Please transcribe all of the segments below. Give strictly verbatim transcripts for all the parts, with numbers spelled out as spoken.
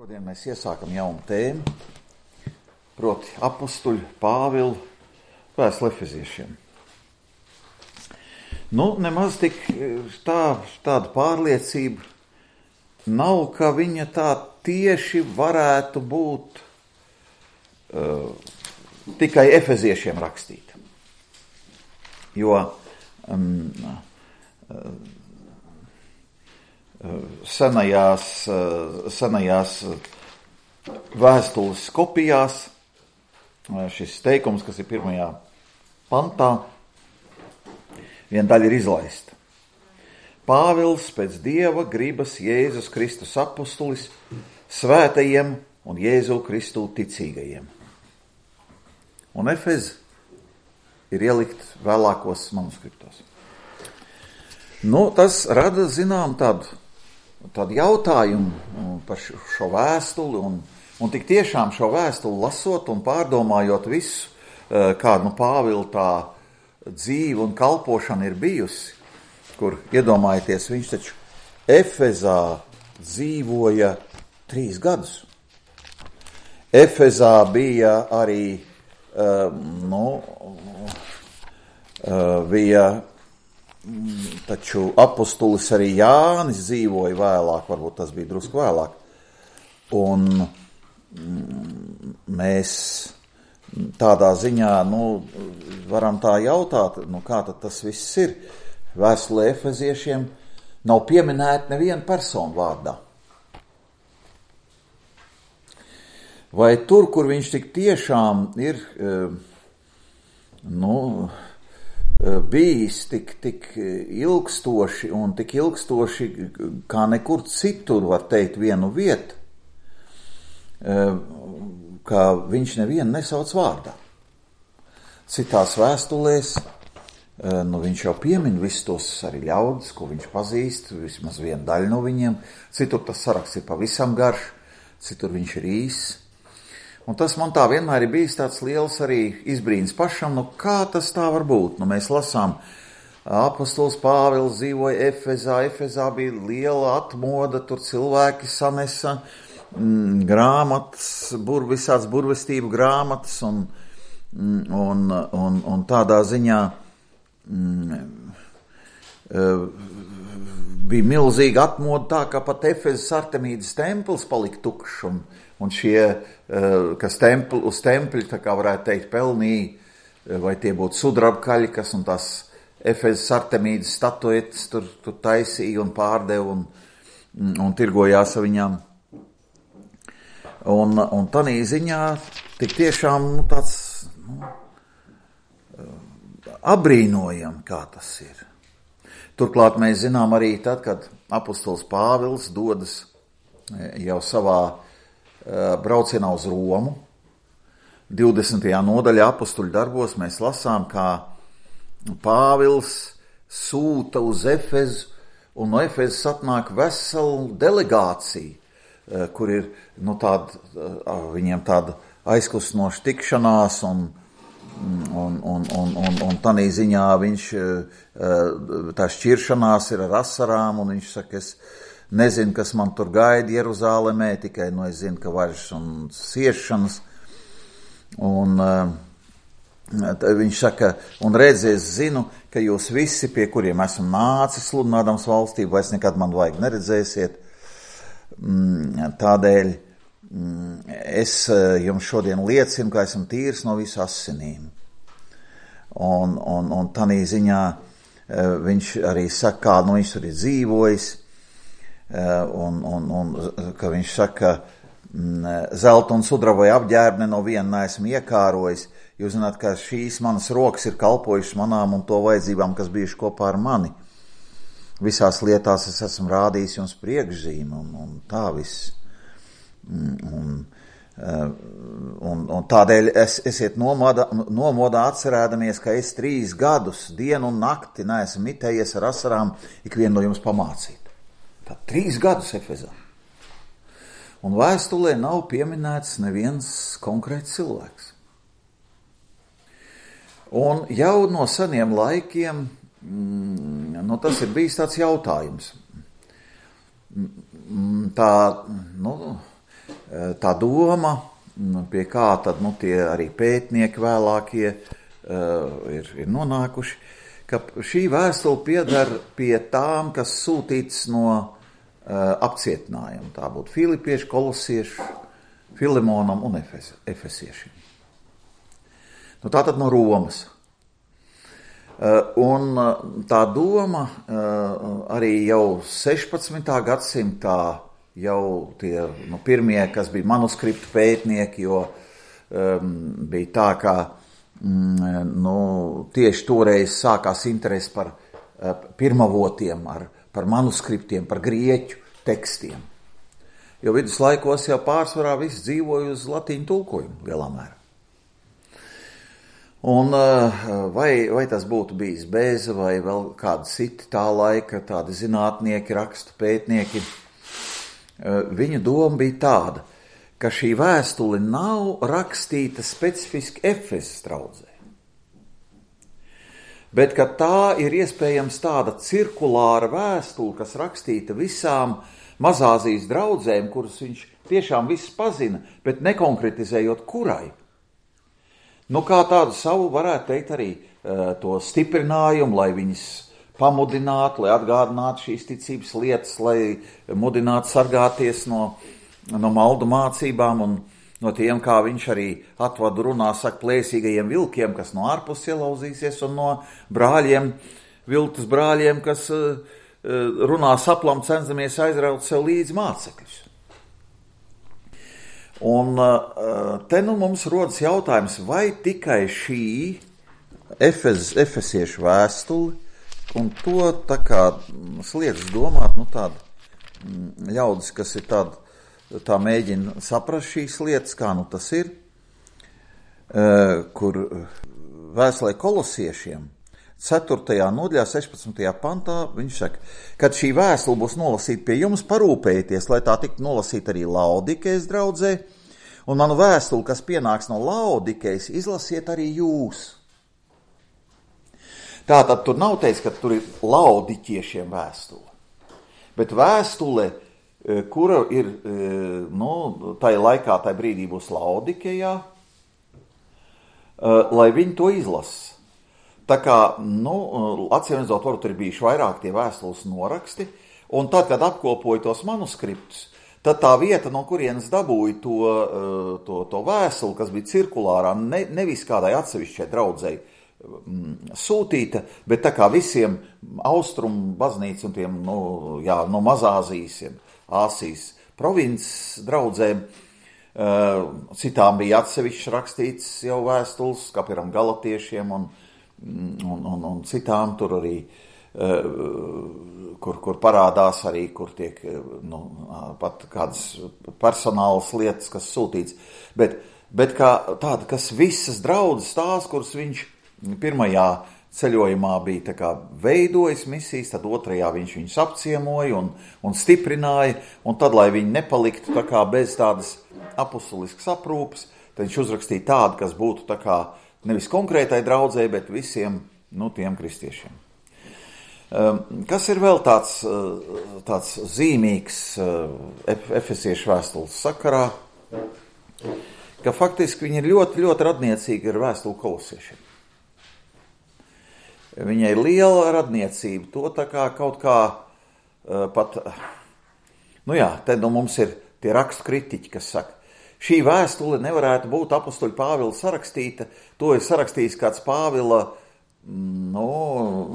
Šodien mēs iesākam jaunu tēmu, proti apustuļu Pāvila vēstuli Efeziešiem. Nu, nemaz tik tā, tāda pārliecība nav, ka viņa tā tieši varētu būt uh, tikai Efeziešiem rakstīta. Jo um, uh, senajās, senajās vēstules kopijās šis teikums, kas ir pirmajā pantā, viena daļa ir izlaista. Pāvils pēc Dieva gribas Jēzus Kristus apustulis svētajiem un Jēzu Kristu ticīgajiem. Un Efez ir ielikt vēlākos manuskriptos. Nu, tas rada, zinām, tādu Tādu jautājumu par šo vēstuli, un, un tik tiešām šo vēstuli lasot un pārdomājot visu, kāda nu Pāvila tā dzīve un kalpošana ir bijusi, kur, iedomājieties, viņš taču Efezā dzīvoja trīs gadus. Efezā bija arī, nu, bija taču apustulis arī Jānis dzīvoja vēlāk, varbūt tas bija drusku vēlāk. Un mēs tādā ziņā, nu, varam tā jautāt, nu, kā tad tas viss ir. Vēstulē Efeziešiem nav pieminēta neviena persona vārdā. Vai tur, kur viņš tik tiešām ir, nu, bijis tik, tik ilgstoši un tik ilgstoši, kā nekur citur, var teikt, vienu vietu, ka viņš nevienu nesauc vārdā. Citās vēstulēs, nu, viņš jau piemin visus tos arī ļaudis, ko viņš pazīst, vismaz viena daļa no viņiem, citur tas saraksts ir pavisam garš, citur viņš ir īss. Un tas man tā vienmēr ir bijis tāds liels arī izbrīns pašam, nu kā tas tā var būt? Nu mēs lasām, apostols Pāvils dzīvoja Efezā, Efezā bija liela atmoda, tur cilvēki sanesa mm, grāmatas, bur, visāds burvestību grāmatas, un, un, un, un tādā ziņā mm, bija milzīga atmoda tā, ka pat Efezas Artemīdas templis palika tukšs, un Un šie, kas templi, uz tempļi, tā kā varētu teikt, pelnīja, vai tie būtu sudrabkaļi, kas un tās Efezas Artemīdas statuetes tur, tur taisīja un pārdeva un, un tirgojās ar viņām. Un, un tanī ziņā tik tiešām nu, tāds nu, abrīnojam, kā tas ir. Turklāt mēs zinām arī tad, kad apostols Pāvils dodas jau savā braucienā uz Romu. divdesmitajā nodaļā apostuļu darbos mēs lasām, kā Pāvils sūta uz Efezu, un no Efezas atnāk vesela delegācija, kur ir nu, tāda, viņiem tāda aizkustinoša tikšanās, un, un, un, un, un, un tanī ziņā viņš, tā šķiršanās ir ar asarām, un viņš saka, es nezinu, kas man tur gaida Jeruzālemē, tikai nu es zinu, ka važas un siešanas. Un uh, viņš saka, un redz, es zinu, ka jūs visi, pie kuriem esmu nācis sludinādams valstību, vairs nekad man vajag neredzēsiet. Mm, tādēļ mm, es jums šodien liecinu, ka esmu tīrs no visu asinīm. Un, un, un tanī ziņā uh, viņš arī saka, kā nu viņš tur ir dzīvojis. Un, un, un ka viņš saka, zelta un sudraba apģērbne no viena neesmu iekārojis. Jūs zināt, ka šīs manas rokas ir kalpojušas manām un to vajadzībām, kas bijuši kopā ar mani. Visās lietās es esmu rādījis jums priekšzīmi un, un tā viss. Un, un, un tādēļ es, esiet nomodā, nomodā atcerēdamies, ka es trīs gadus, dienu un nakti neesmu mitējies ar asarām ikvienu no jums pamācīt. Tā trīs gadus Efezā. Un vēstulē nav pieminēts neviens konkrēts cilvēks. Un jau no seniem laikiem, mm, nu, tas ir bijis tāds jautājums. Tā, nu, tā doma, pie kā tad nu, tie arī pētnieki vēlākie ir, ir nonākuši, ka šī vēstule pieder pie tām, kas sūtīts no apcietinājuma. Tā būtu filipiešu, kolosiešu, Filemonam un efesiešiem. Nu, tā tad no Romas. Un tā doma arī jau sešpadsmitā gadsimtā jau tie nu, pirmie, kas bija manuskriptu pētnieki, jo um, bija tā, ka um, nu, tieši toreiz sākās interesi par uh, pirmavotiem, ar, par manuskriptiem, par grieķu tekstiem. Jo viduslaikos jau pārsvarā viss dzīvoja uz latīņu tulkojumu lielā mērā. Un vai, vai tas būtu bijis Bēze vai vēl kādi citi tā laika, tādi zinātnieki, rakstu pētnieki, viņu doma bija tāda, ka šī vēstule nav rakstīta specifiski Efesas draudzē, bet ka tā ir iespējams tāda cirkulāra vēstule, kas rakstīta visām Mazāzijas draudzēm, kuras viņš tiešām viss pazina, bet nekonkretizējot kurai. Nu, kā tādu savu, varētu teikt, arī uh, to stiprinājumu, lai viņas pamudinātu, lai atgādinātu šīs ticības lietas, lai mudinātu sargāties no, no maldu mācībām un no tiem, kā viņš arī atvadu runā, saka, plēsīgajiem vilkiem, kas no ārpus ielauzīsies, un no brāļiem, viltus brāļiem, kas uh, runā saplam, cenšamies aizraut sev līdzi mācekļus. Un te nu mums rodas jautājums, vai tikai šī Efes, efesiešu vēstule, un to tā kā sliekas domāt, nu tāda ļaudis, kas ir tāda, tā mēģina saprast šīs lietas, kā nu tas ir, kur vēstulē kolosiešiem, ceturtajā nodaļā, sešpadsmitajā pantā, viņš saka, kad šī vēstule būs nolasīta pie jums, parūpējieties, lai tā tiktu nolasīta arī Laodikejas draudzē, un manu vēstuli, kas pienāks no Laodikejas, izlasiet arī jūs. Tātad tur nav teiks, ka tur ir laodiķiešiem vēstule, bet vēstule, kura ir, nu, tajā laikā, tajā brīdī būs Laodikejā, lai viņi to izlasa. Tā kā, nu, atcīmredzot, varbūt ir bijuši vairāk tie vēstules noraksti, un tad, kad apkopoja tos manuskriptus, tad tā vieta, no kurienes dabūja to, to, to vēstuli, kas bija cirkulārā, ne, nevis kādai atsevišķai draudzei sūtīta, bet tā kā visiem austrumu baznīcu un tiem, nu, jā, no Mazāzijas, Āsijas provinces draudzēm, citām bija atsevišķi rakstīts jau vēstules, kā piemēram galatiešiem un Un, un, un citām tur arī, kur, kur parādās arī, kur tiek nu, pat kādas personālas lietas, kas sūtīts, bet, bet kā tāda, kas visas draudzes tās, kuras viņš pirmajā ceļojumā bija tā kā veidojis misijas, tad otrajā viņš viņus apciemoja un, un stiprināja, un tad, lai viņi nepaliktu tā kā bez tādas apustuliskas aprūpes, tad viņš uzrakstīja tādu, kas būtu tā kā nevis konkrētai draudzē, bet visiem, nu, tiem kristiešiem. Kas ir vēl tāds, tāds zīmīgs efesiešu vēstules sakarā, ka faktiski viņi ir ļoti, ļoti radniecīgi ar vēstuli kolosiešiem. Viņai ir liela radniecība, to tā kā kaut kā pat, nu jā, te nu mums ir tie rakstu kritiķi, kas saka, šī vēstule nevarētu būt apustuļa Pāvila sarakstīta, to ir sarakstījis kāds Pāvila, nu,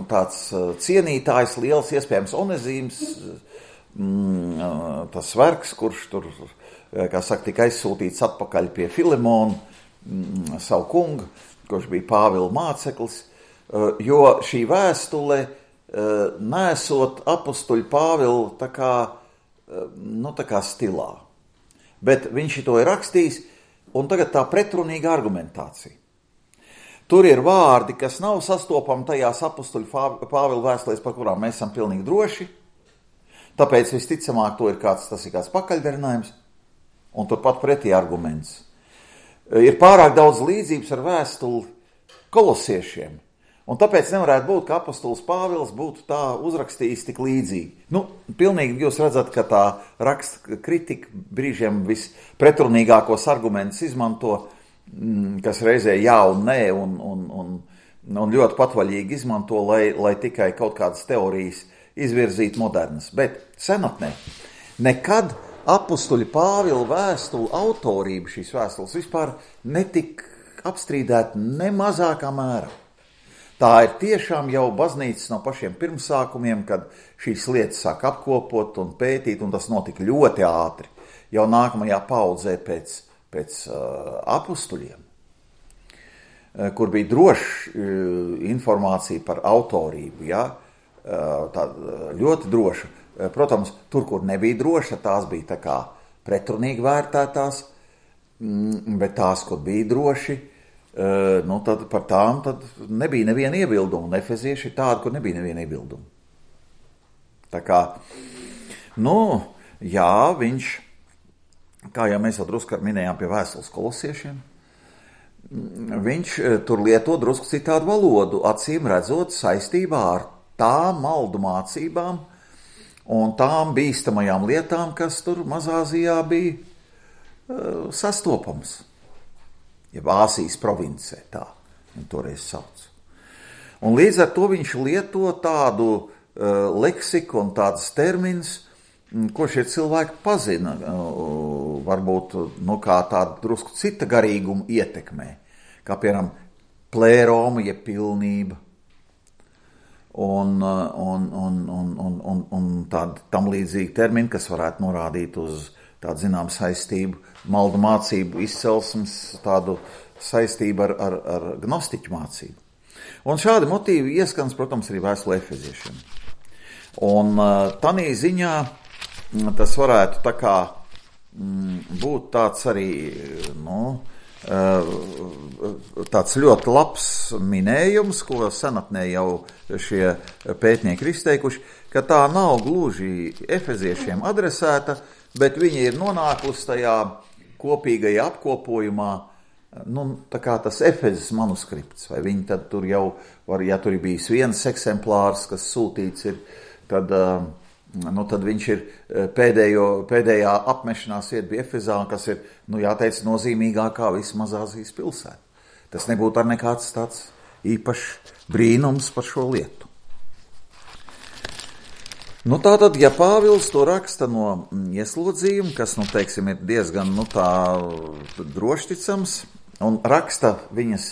tāds cienītājs, liels iespējams Onezīms, tas vergs, kurš tur, kā saka, tika aizsūtīts atpakaļ pie Filemona, savu kungu, kurš bija Pāvila māceklis, jo šī vēstule nesot apustuļa Pāvila tā kā, nu, tā kā stilā. Bet viņš to ir rakstījis, un tagad tā pretrunīga argumentācija. Tur ir vārdi, kas nav sastopami tajās apustuļu Pāvila vēstulēs, par kurām mēs esam pilnīgi droši, tāpēc visticamāk to ir kāds, tas ir kāds pakaļdarinājums, un turpat pretī arguments. Ir pārāk daudz līdzības ar vēstuli kolosiešiem, Un tāpēc nevarētu būt, ka apostols Pāvils būtu tā uzrakstījis tik līdzīgi. Nu, pilnīgi jūs redzat, ka tā raksta kritika brīžiem vispretrunīgākos argumentus izmanto, kas reizē jā un nē, un, un, un, un ļoti patvaļīgi izmanto, lai, lai tikai kaut kādas teorijas izvirzītu modernas. Bet senatnē nekad apostoļa Pāvila vēstulu autorība šīs vēstules vispār netika apstrīdēta ne mazākā mērā. Tā ir tiešām jau baznīcas no pašiem pirmsākumiem, kad šīs lietas sāk apkopot un pētīt, un tas notika ļoti ātri, jau nākamajā paudzē pēc, pēc uh, apostuļiem, uh, kur bija droša uh, informācija par autorību, ja? uh, tā, ļoti droša. Uh, protams, tur, kur nebija droša, tās bija tā kā pretrunīgi vērtētās, mm, bet tās, kur bija droši, Uh, nu tad par tām tad nebija neviena iebilduma, un efezieši ir tādi, kur nebija neviena iebilduma. Tā kā, nu, jā, viņš, kā jau mēs jau drusku minējām pie vēstules kolosiešiem, viņš tur lieto drusku citādu valodu, acīm redzot saistībā ar tām maldu mācībām un tām bīstamajām lietām, kas tur Mazāzijā bija uh, sastopams. Jeb Āsijas provincē, tā viņi toreiz sauc. Un līdz ar to viņš lieto tādu uh, leksiku un tādus terminus, ko šie cilvēki pazina, uh, varbūt nu, kā tādu drusku cita garīguma ietekmē, kā piemēram plēroma, jeb pilnība, un, un, un, un, un, un, un tādi tam līdzīgi termini, kas varētu norādīt uz tādu zinām saistību, maldu mācību izcelsmes, tādu saistību ar, ar, ar gnostiķu mācību. Un šādi motīvi ieskans, protams, arī vēstulē efeziešiem. Un tanī ziņā tas varētu tā kā būt tāds arī, nu, tāds ļoti labs minējums, ko senatnē jau šie pētnieki ir izteikuši, ka tā nav gluži efeziešiem adresēta, bet viņi ir nonākusi tajā kopīgajā apkopojumā, nu, tā kā tas Efezes manuskripts, vai viņi tad tur jau, var, ja tur ir bijis viens eksemplārs, kas sūtīts ir, tad, nu, tad viņš ir pēdējo, pēdējā apmešanās vieta bija Efezā, kas ir, nu, jāteic, nozīmīgākā visa Mazāzijas pilsēta. Tas nebūtu ar nekāds tāds īpašs brīnums par šo lietu. Nu tātad, ja Pāvils to raksta no ieslodzījuma, kas, nu, teiksim, ir diezgan, nu, tā drošticams, un raksta viņas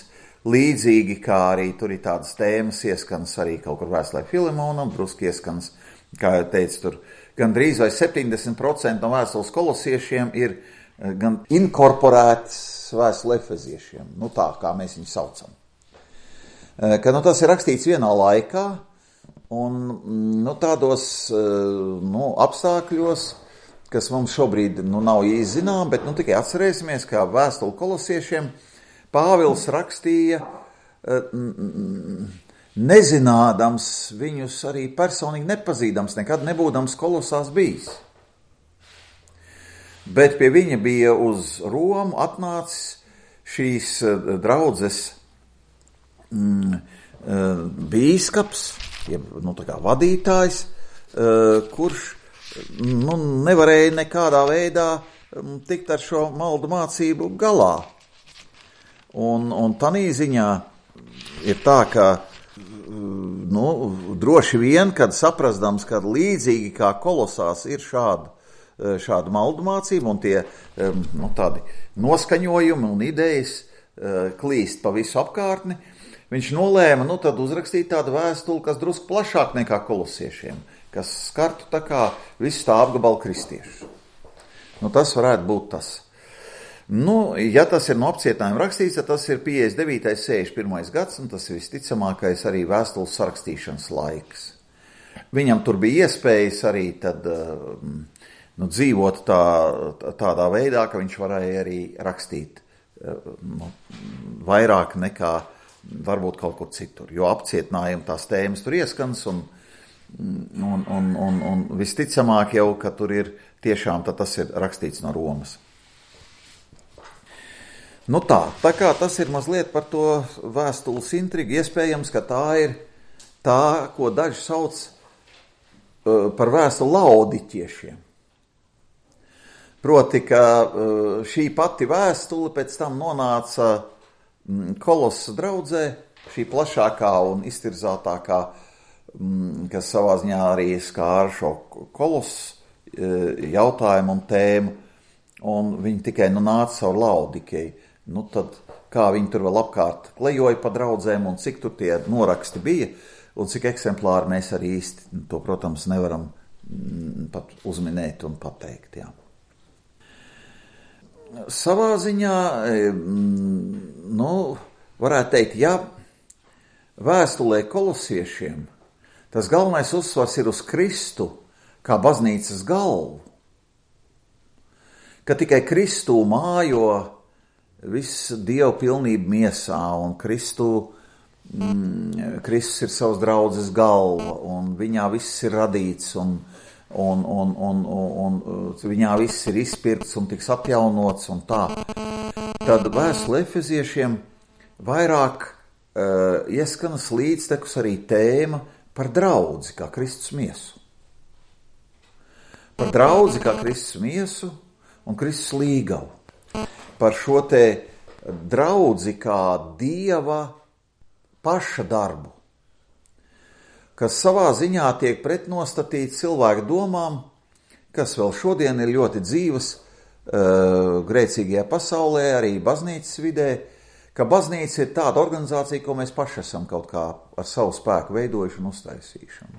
līdzīgi, kā arī tur ir tādas tēmas, ieskans arī kaut kur vēstulē Filemonam, druski ieskans, kā jau teicu, tur gandrīz vai septiņdesmit procenti no vēstules kolosiešiem ir gan inkorporētas vēstule efeziešiem, nu tā, kā mēs viņu saucam. Ka, nu, tas ir rakstīts vienā laikā, un nu, tādos nu, apstākļos, kas mums šobrīd nu, nav īsti zinām, bet nu, tikai atcerēsimies, kā vēstuli kolosiešiem Pāvils rakstīja, nezinādams viņus arī personīgi nepazīdams, nekad nebūdams Kolosās bijis. Bet pie viņa bija uz Romu atnācis šīs draudzes mm, bīskaps, jeb, nu, tā kā vadītājs, kurš nu, nevarēja nekādā veidā tikt ar šo maldu mācību galā. Un, un tanī ziņā ir tā, ka nu, droši vien, kad saprastams, ka līdzīgi kā Kolosās ir šāda, šāda maldu mācība un tie nu, tādi noskaņojumi un idejas klīst pa visu apkārtni, viņš nolēma, nu, tad uzrakstīt tādu vēstuli, kas drusku plašāk nekā kolosiešiem, kas skartu tā kā visu tā apgabalu kristiešu. Nu, tas varētu būt tas. Nu, ja tas ir no apcietinājuma rakstīts, tad tas ir piecdesmit devītais, sešdesmit pirmais gads, un tas ir visticamākais arī vēstules sarakstīšanas laiks. Viņam tur bija iespējas arī tad nu, dzīvot tā, tādā veidā, ka viņš varēja arī rakstīt nu, vairāk nekā varbūt kaut kur citur, jo apcietinājumi tās tēmas tur ieskans, un, un, un, un, un visticamāk jau, ka tur ir tiešām, tad tas ir rakstīts no Romas. Nu tā, tā kā tas ir mazliet par to vēstules intrigu, iespējams, ka tā ir tā, ko daži sauc uh, par vēstuli laodiķiešiem. Proti, ka uh, šī pati vēstule pēc tam nonāca mm, Kolosa draudzē, šī plašākā un iztirzātākā, mm, kas savā ziņā arī skāra šo Kolosu uh, jautājumu un tēmu, un viņi tikai nu nāca caur Laodikeju. Nu tad, kā viņi tur vēl apkārt klejoja pa draudzēm un cik tur tie noraksti bija, un cik eksemplāri mēs arī īsti to, protams, nevaram mm, pat uzminēt un pateikt, jā. Savā ziņā, mm, nu, varētu teikt, ja vēstulē kolosiešiem tas galvenais uzsvars ir uz Kristu kā baznīcas galvu, ka tikai Kristū mājo viss Dieva pilnība miesā, un Kristū, mm, Kristus ir savas draudzes galva, un viņā viss ir radīts, un, un, un, un, un, un viņā viss ir izpirkts un tiks atjaunots, un tā. Tad vēstule Efeziešiem vairāk uh, ieskanas līdztekus arī tēma par draudzi kā Kristus miesu. Par draudzi kā Kristus miesu un Kristus līgavu. Par šo te draudzi kā Dieva paša darbu, kas savā ziņā tiek pretnostatīts cilvēku domām, kas vēl šodien ir ļoti dzīvas uh, grēcīgajā pasaulē, arī baznīcas vidē, ka baznīca ir tāda organizācija, ko mēs paši esam kaut kā ar savu spēku veidojuši un uztaisījuši.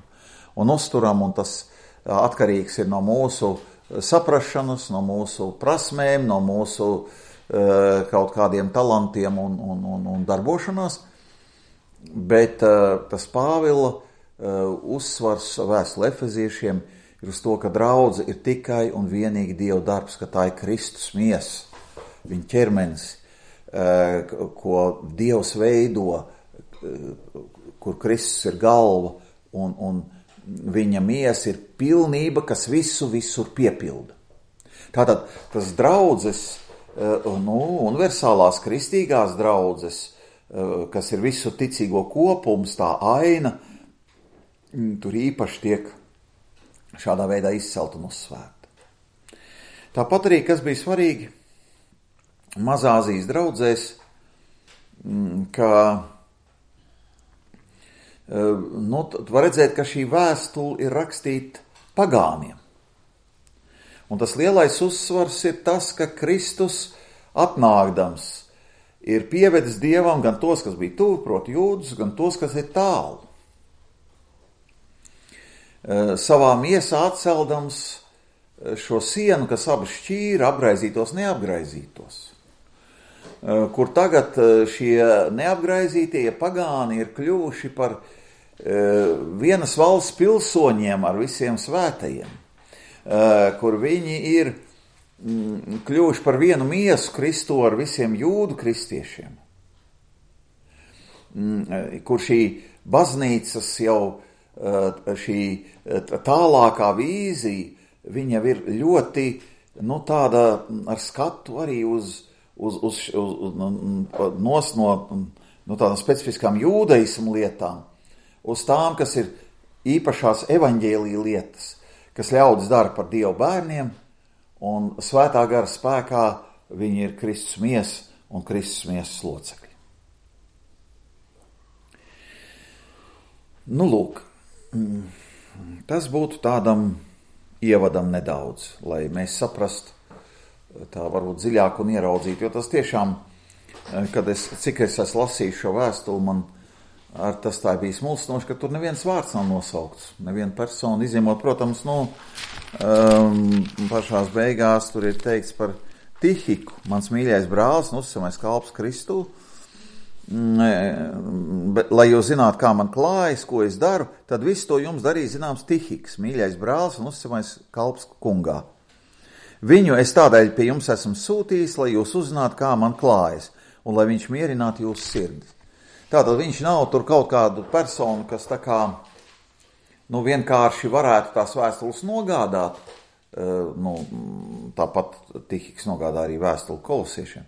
Un uzturam, un tas atkarīgs ir no mūsu saprašanas, no mūsu prasmēm, no mūsu uh, kaut kādiem talantiem un, un, un, un darbošanās, bet uh, tas Pāvila uh, uzsvars vēstulē Efeziešiem ir uz to, ka draudze ir tikai un vienīgi Dieva darbs, ka tā ir Kristus miesa, viņa ķermenis, uh, ko Dievs veido, uh, kur Kristus ir galva, un, un viņa miesa ir pilnība, kas visu visur piepilda. Tātad tas draudzes, nu, universālās kristīgās draudzes, kas ir visu ticīgo kopums, tā aina, tur īpaši tiek šādā veidā izcelt un uzsvērta. Tāpat arī, kas bija svarīgi Mazāzijas draudzēs, ka nu, var redzēt, ka šī vēstule ir rakstīta pagāniem. Un tas lielais uzsvars ir tas, ka Kristus atnākdams ir pievedis Dievam gan tos, kas bija tuvu, proti jūdus, gan tos, kas ir tālu. Savā miesā atceldams šo sienu, kas abas šķīra, apgraizītos, neapgraizītos. Kur tagad šie neapgraizītie pagāni ir kļuvuši par vienas valsts pilsoņiem ar visiem svētajiem, kur viņi ir kļuvuši par vienu miesu Kristu ar visiem jūdu kristiešiem, kur šī baznīcas jau šī tālākā vīzija, viņa ir ļoti, nu, tāda ar skatu arī uz, uz, uz, uz, uz nos no, no tādām specifiskām jūdaismu lietām, uz tām, kas ir īpašās evaņģēlija lietas, kas ļaudis dara par Dievu bērniem, un svētā gara spēkā viņi ir Kristus miesa un Kristus miesas locekļi. Nu, lūk, tas būtu tādam ievadam nedaudz, lai mēs saprastu tā varbūt dziļāk un ieraudzītu, jo tas tiešām, kad es, cik es esmu lasījis šo vēstuli, man ar tas tā bijis mulsinoši, ka tur neviens vārds nav nosaukts, neviena persona, izņemot, protams, nu, um, pašās beigās tur ir teikts par Tihiku, mans mīļais brālis, nu, uzticamais kalps Kristū, bet, lai jūs zinātu, kā man klājas, ko es daru, tad visu to jums darīja zināms Tihiks, mīļais brālis un uzticamais kalps kungā. Viņu es tādēļ pie jums esmu sūtījis, lai jūs uzzinātu, kā man klājas, un lai viņš mierinātu jūsu sirdis. Tātad viņš nav tur kaut kādu personu, kas tā kā, nu, vienkārši varētu tās vēstules nogādāt, nu, tāpat Tihiks nogādā arī vēstuli kolosiešiem,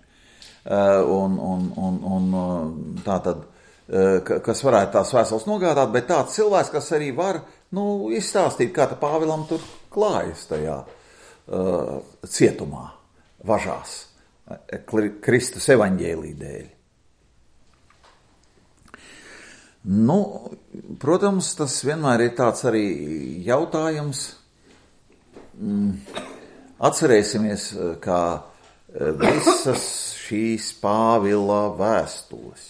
un, un, un, un tā tad, kas varētu tās vēstules nogādāt, bet tāds cilvēks, kas arī var, nu, izstāstīt, kā tā Pāvilam tur klājas tajā uh, cietumā, važās, Kristus evaņģēlī dēļ. Nu, protams, tas vienmēr ir tāds arī jautājums. Atcerēsimies, kā visas šīs Pāvila vēstules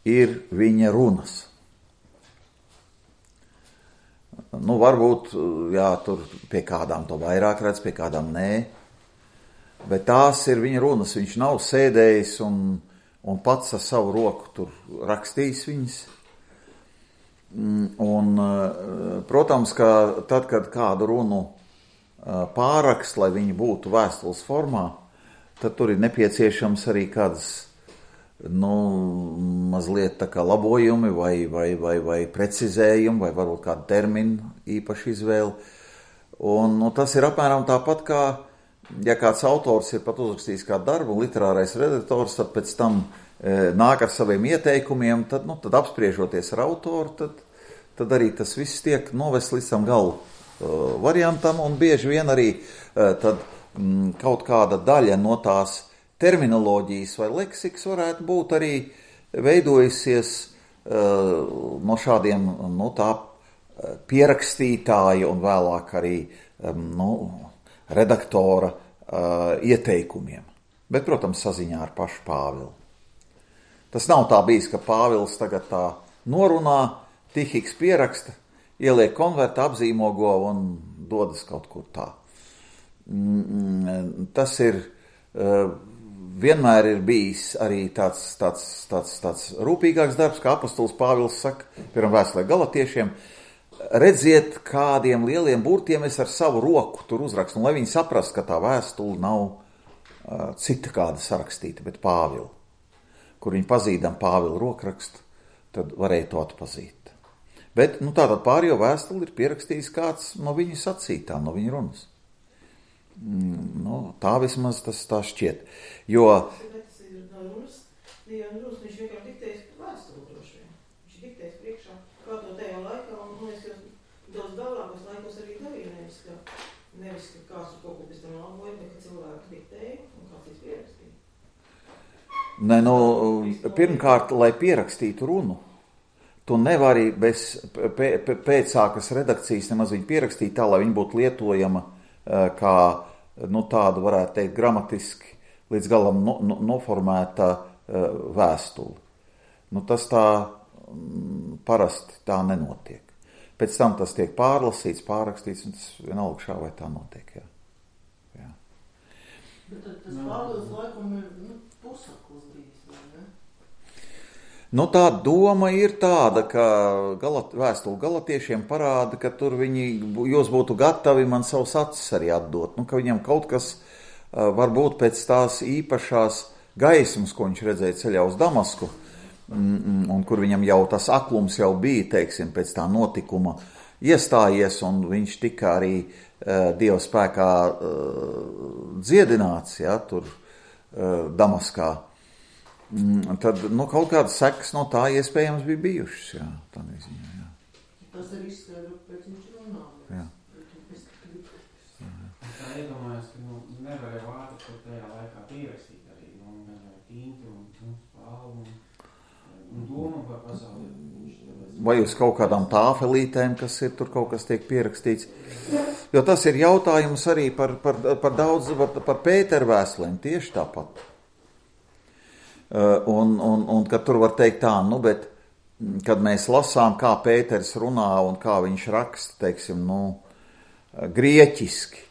ir viņa runas. Nu, varbūt, jā, tur pie kādām to vairāk redz, pie kādām nē, bet tās ir viņa runas. Viņš nav sēdējis un, un pats ar savu roku tur rakstījis viņas. Un, protams, ka tad, kad kādu runu pārakst, lai viņi būtu vēstules formā, tad tur ir nepieciešams arī kādas, nu, mazliet tā kā labojumi vai, vai, vai, vai precizējumi, vai varbūt kādu terminu īpaši izvēli. Un, nu, tas ir apmēram tāpat kā, ja kāds autors ir pat uzrakstījis kādu darbu, literārais redaktors, tad pēc tam e, nāk ar saviem ieteikumiem, tad, nu, tad apspriežoties ar autoru, tad, tad arī tas viss tiek novest līdz tam galu uh, variantam, un bieži vien arī uh, tad mm, kaut kāda daļa no tās terminoloģijas vai leksikas varētu būt arī veidojusies uh, no šādiem, nu, tā pierakstītāja un vēlāk arī um, nu, redaktora uh, ieteikumiem. Bet, protams, saziņā ar pašu Pāvilu. Tas nav tā bijis, ka Pāvils tagad tā norunā, Tihiks pieraksta, ieliek konverta, apzīmogo un dodas kaut kur tā. Tas ir, vienmēr ir bijis arī tāds, tāds, tāds, tāds rūpīgāks darbs, kā apostols Pāvils saka, piemēram vēstulē Galatiešiem, redziet, kādiem lieliem burtiem es ar savu roku tur uzrakstu, un lai viņi saprast, ka tā vēstule nav uh, cita kāda sarakstīta, bet Pāvila, kur viņi pazīdam Pāvila rokrakstu, tad varēja to atpazīt. Bet, nu, tātad pārējo vēstuli ir pierakstījis kāds no viņu sacītām, no viņu runas. Mm, nu, tā vismaz tas tā šķiet. Jo... Bet tas ir no runas, jo runas viņš vienkārši diktējas vēstuli droši vien. Viņš diktējas priekšā, kā to tajā laikā, un, nu, es jau daudz vēlākos laikos arī darīju, nevis, ka, nevis, ka kāds kaut ko pēc tam laboja, bet ka cilvēki diktēja un kāds ir pierakstīja. Nē, nu, pirmkārt, lai pierakstītu runu, tu nevari bez pēcākas redakcijas nemaz viņu pierakstīt tā, lai viņa būtu lietojama kā, nu, tādu, varētu teikt, gramatiski līdz galam no, no, noformēta vēstuli. Nu, tas tā parasti tā nenotiek. Pēc tam tas tiek pārlasīts, pārrakstīts, un tas vienalga šā vai tā notiek, jā. jā. Bet tad tas Pāvils laikam ir, nu, pusakls bijis, vai ne? Nu, tā doma ir tāda, ka galat, vēstuli galatiešiem parāda, ka tur viņi, jūs būtu gatavi man savus acis arī atdot. Nu, ka viņam kaut kas uh, varbūt pēc tās īpašās gaismas, ko viņš redzēja ceļā uz Damasku, mm, un kur viņam jau tas aklums jau bija, teiksim, pēc tā notikuma iestājies, un viņš tika arī uh, Dieva spēkā uh, dziedināts, ja, tur uh, Damaskā. Tad, nu, kaut kādas sekas no tā iespējams bija bijušas, jā, tā neziņā, jā. Tas ir izskaidro, pēc viņš runā. Jā. Tā iedomājas, ka, nu, nevarēja vārdu, ko tajā laikā pierakstīt arī, nu, nevarēja tinti un, un spālu un, un domu par pasauli. Vai uz kaut kādām tāfelītēm, kas ir tur kaut kas tiek pierakstīts. Jo tas ir jautājums arī par, par, par daudz, par, par Pētera vēstulēm, tieši tāpat. Un, un, un kad tur var teikt tā, nu, bet, kad mēs lasām, kā Pēters runā un kā viņš raksta, teiksim, nu, grieķiski,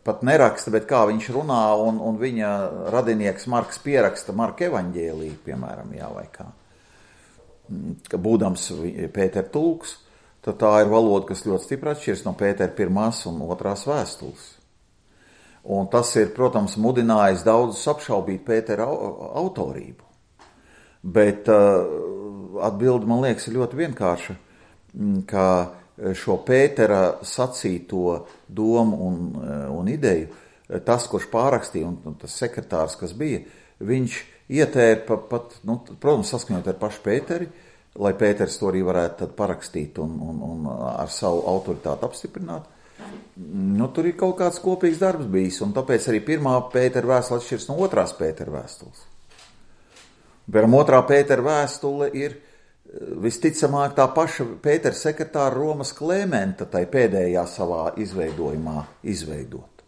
pat neraksta, bet kā viņš runā, un, un viņa radinieks Marks pieraksta Marka evaņģēliju, piemēram, jā, vai kā, ka būdams Pētera tulks, tad tā ir valoda, kas ļoti stipri atšķiras no Pētera pirmās un otrās vēstules. Un tas ir, protams, mudinājis daudzus apšaubīt Pētera autorību. Bet uh, atbilde, man liekas, ir ļoti vienkārša, ka šo Pētera sacīto domu un, un ideju tas, kurš pārakstīja, un, un tas sekretārs, kas bija, viņš ietēra pat, pat nu, protams, saskaņot ar pašu Pēteri, lai Pēters to arī varētu tad parakstīt un, un, un ar savu autoritāti apstiprināt. Nu, tur ir kaut kāds kopīgs darbs bijis, un tāpēc arī pirmā Pētera vēstule atšķiras no otrās Pētera vēstules. Piemēram, otrā Pētera vēstule ir visticamāk tā paša Pētera sekretāra Romas Klementa tai pēdējā savā izveidojumā izveidot.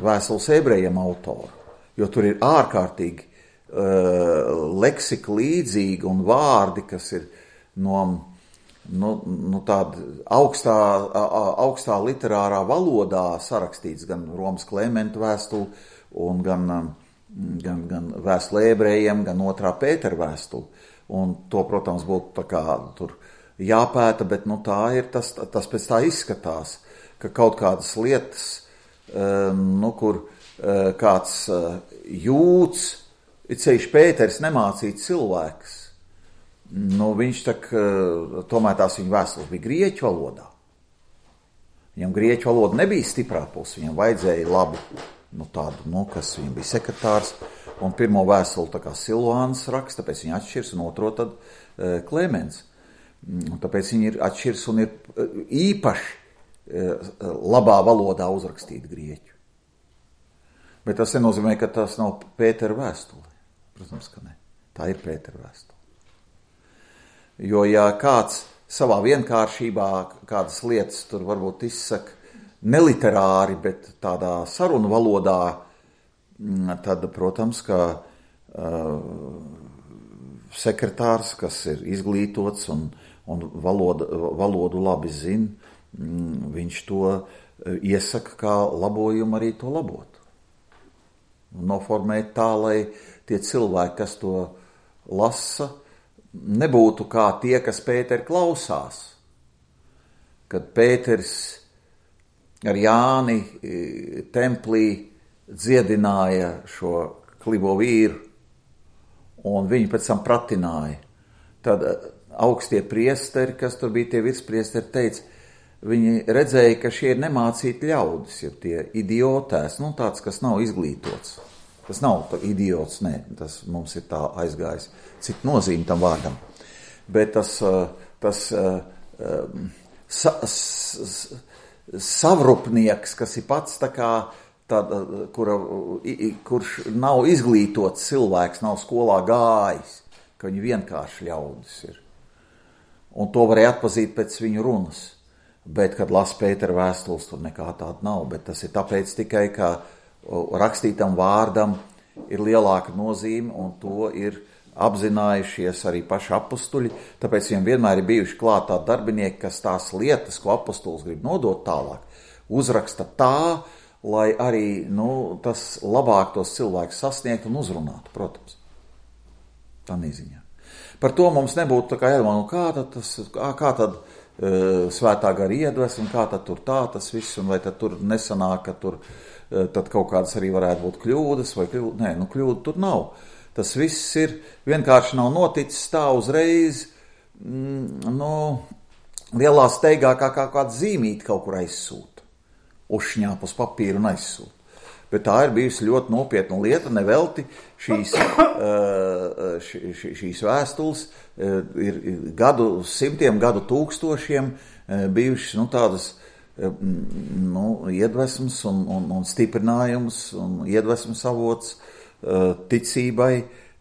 Vēstules ebrejiem autoru, jo tur ir ārkārtīgi uh, leksika līdzīgi un vārdi, kas ir no, no, no tāda augstā, augstā literārā valodā sarakstīts gan Romas Klementa vēstuli, un gan, gan, gan vēstule ebrejiem, gan otrā Pētera vēstuli. Un to, protams, būtu tā kā tur jāpēta, bet nu, tā ir, tas, tas pēc tā izskatās, ka kaut kādas lietas, nu, kur kāds jūts, it ceļš Pēters nemācīts cilvēks, nu, viņš tak, tomēr tās viņa vēstules bija grieķu valodā. Viņam grieķu valoda nebija stiprā puse, viņam vajadzēja labu, nu, tādu, nu, kas viņam bija sekretārs, un pirmo vēstuli tā kā Silvāns raksta, tāpēc viņi atšķirs, un otro tad e, Klemens. Un tāpēc viņi ir atšķirs un ir īpaši e, labā valodā uzrakstīti grieķu. Bet tas nenozīmē, ka tas nav Pētera vēstule. Protams, ka ne. Tā ir Pētera vēstule. Jo, ja kāds savā vienkāršībā kādas lietas tur varbūt izsaka neliterāri, bet tādā sarunu valodā, tad, protams, ka uh, sekretārs, kas ir izglītots un, un valoda, valodu labi zina, viņš to iesaka kā labojumu arī to labot. Noformēt tā, lai tie cilvēki, kas to lasa, nebūtu kā tie, kas Pēteri klausās. Kad Pēters ar Jāni templī dziedināja šo klibo vīru, un viņi pēc tam pratināja. Tad augstie priesteri, kas tur bija tie virspriesteri, teica, viņi redzēja, ka šie ir nemācīti ļaudis, ja tie idiotēs, nu tāds, kas nav izglītots. Tas nav idiots, nē, tas mums ir tā aizgājis, cik nozīme tam vārdam. Bet tas, tas sa, s, savrupnieks, kas ir pats tā kā Tāda, kura, kurš nav izglītots cilvēks, nav skolā gājis, ka viņi vienkārši ļaudis ir. Un to varēja atpazīt pēc viņu runas. Bet, kad las Pētera vēstules, tur nekā tāda nav. Bet tas ir tāpēc tikai, ka rakstītam vārdam ir lielāka nozīme, un to ir apzinājušies arī paši apustuļi. Tāpēc viņiem vienmēr ir bijuši klāt tādi darbinieki, kas tās lietas, ko apustulis grib nodot tālāk, uzraksta tā, lai arī nu, tas labāk tos cilvēkus sasniegt un uzrunātu, protams. Tā neziņā. Par to mums nebūtu tā kā jādomā, nu kā tad, tas, kā, kā tad uh, svētā gara iedvesma, un kā tad tur tā tas viss, un vai tad tur nesanāk, ka tur uh, tad kaut kādas arī varētu būt kļūdas, vai kļūda, nē, nu kļūda tur nav. Tas viss ir, vienkārši nav noticis tā uzreiz, mm, nu, lielā steigā kā, kā kāda zīmīte kaut kur aizsūta. Uzšņāp uz papīru un aizsūt. Bet tā ir bijusi ļoti nopietna lieta, nevelti šīs, š, š, šīs vēstules ir gadu simtiem, gadu tūkstošiem bijušas nu, tādas nu, iedvesmas un, un, un stiprinājums un iedvesmas avots ticībai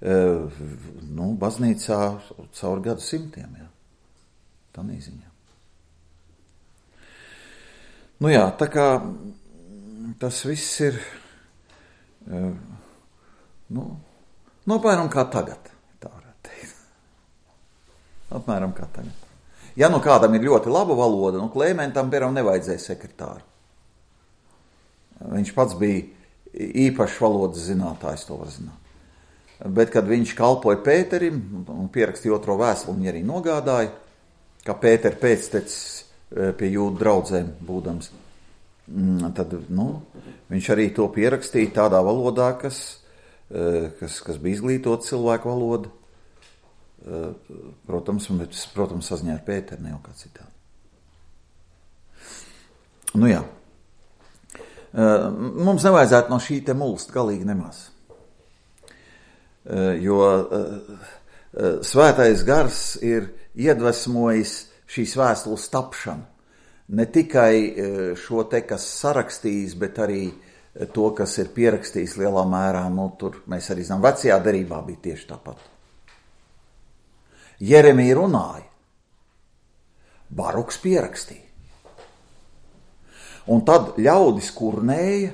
nu, baznīcā caur gadu simtiem. Jā. Tā neziņā. Nu jā, tā kā tas viss ir, nu, nu apmēram kā tagad, tā varētu teikt. Apmēram kā tagad. Ja nu kādam ir ļoti laba valoda, nu Klementam, piemēram, nevajadzēja sekretāru. Viņš pats bija īpašs valodas zinātājs, to var zināt. Bet, kad viņš kalpoja Pēterim un pierakstīja otro vēstuli, viņi arī nogādāja, ka Pētera pēctecis pie jūdu draudzēm būdams. Tad, nu, viņš arī to pierakstīja tādā valodā, kas, kas, kas bija izglītot cilvēku valoda. Protams, bet, protams, saziņā ar Pēteru, ne jau kā citādi. Nu jā. Mums nevajadzētu no šī te mulst galīgi nemaz. Jo svētais gars ir iedvesmojis šīs vēstules tapšanu. Ne tikai šo te, kas sarakstījis, bet arī to, kas ir pierakstījis lielā mērā. Nu, tur mēs arī zinām, vecajā derībā bija tieši tāpat. Jeremija runāja, Baruks pierakstīja. Un tad ļaudis kurnēja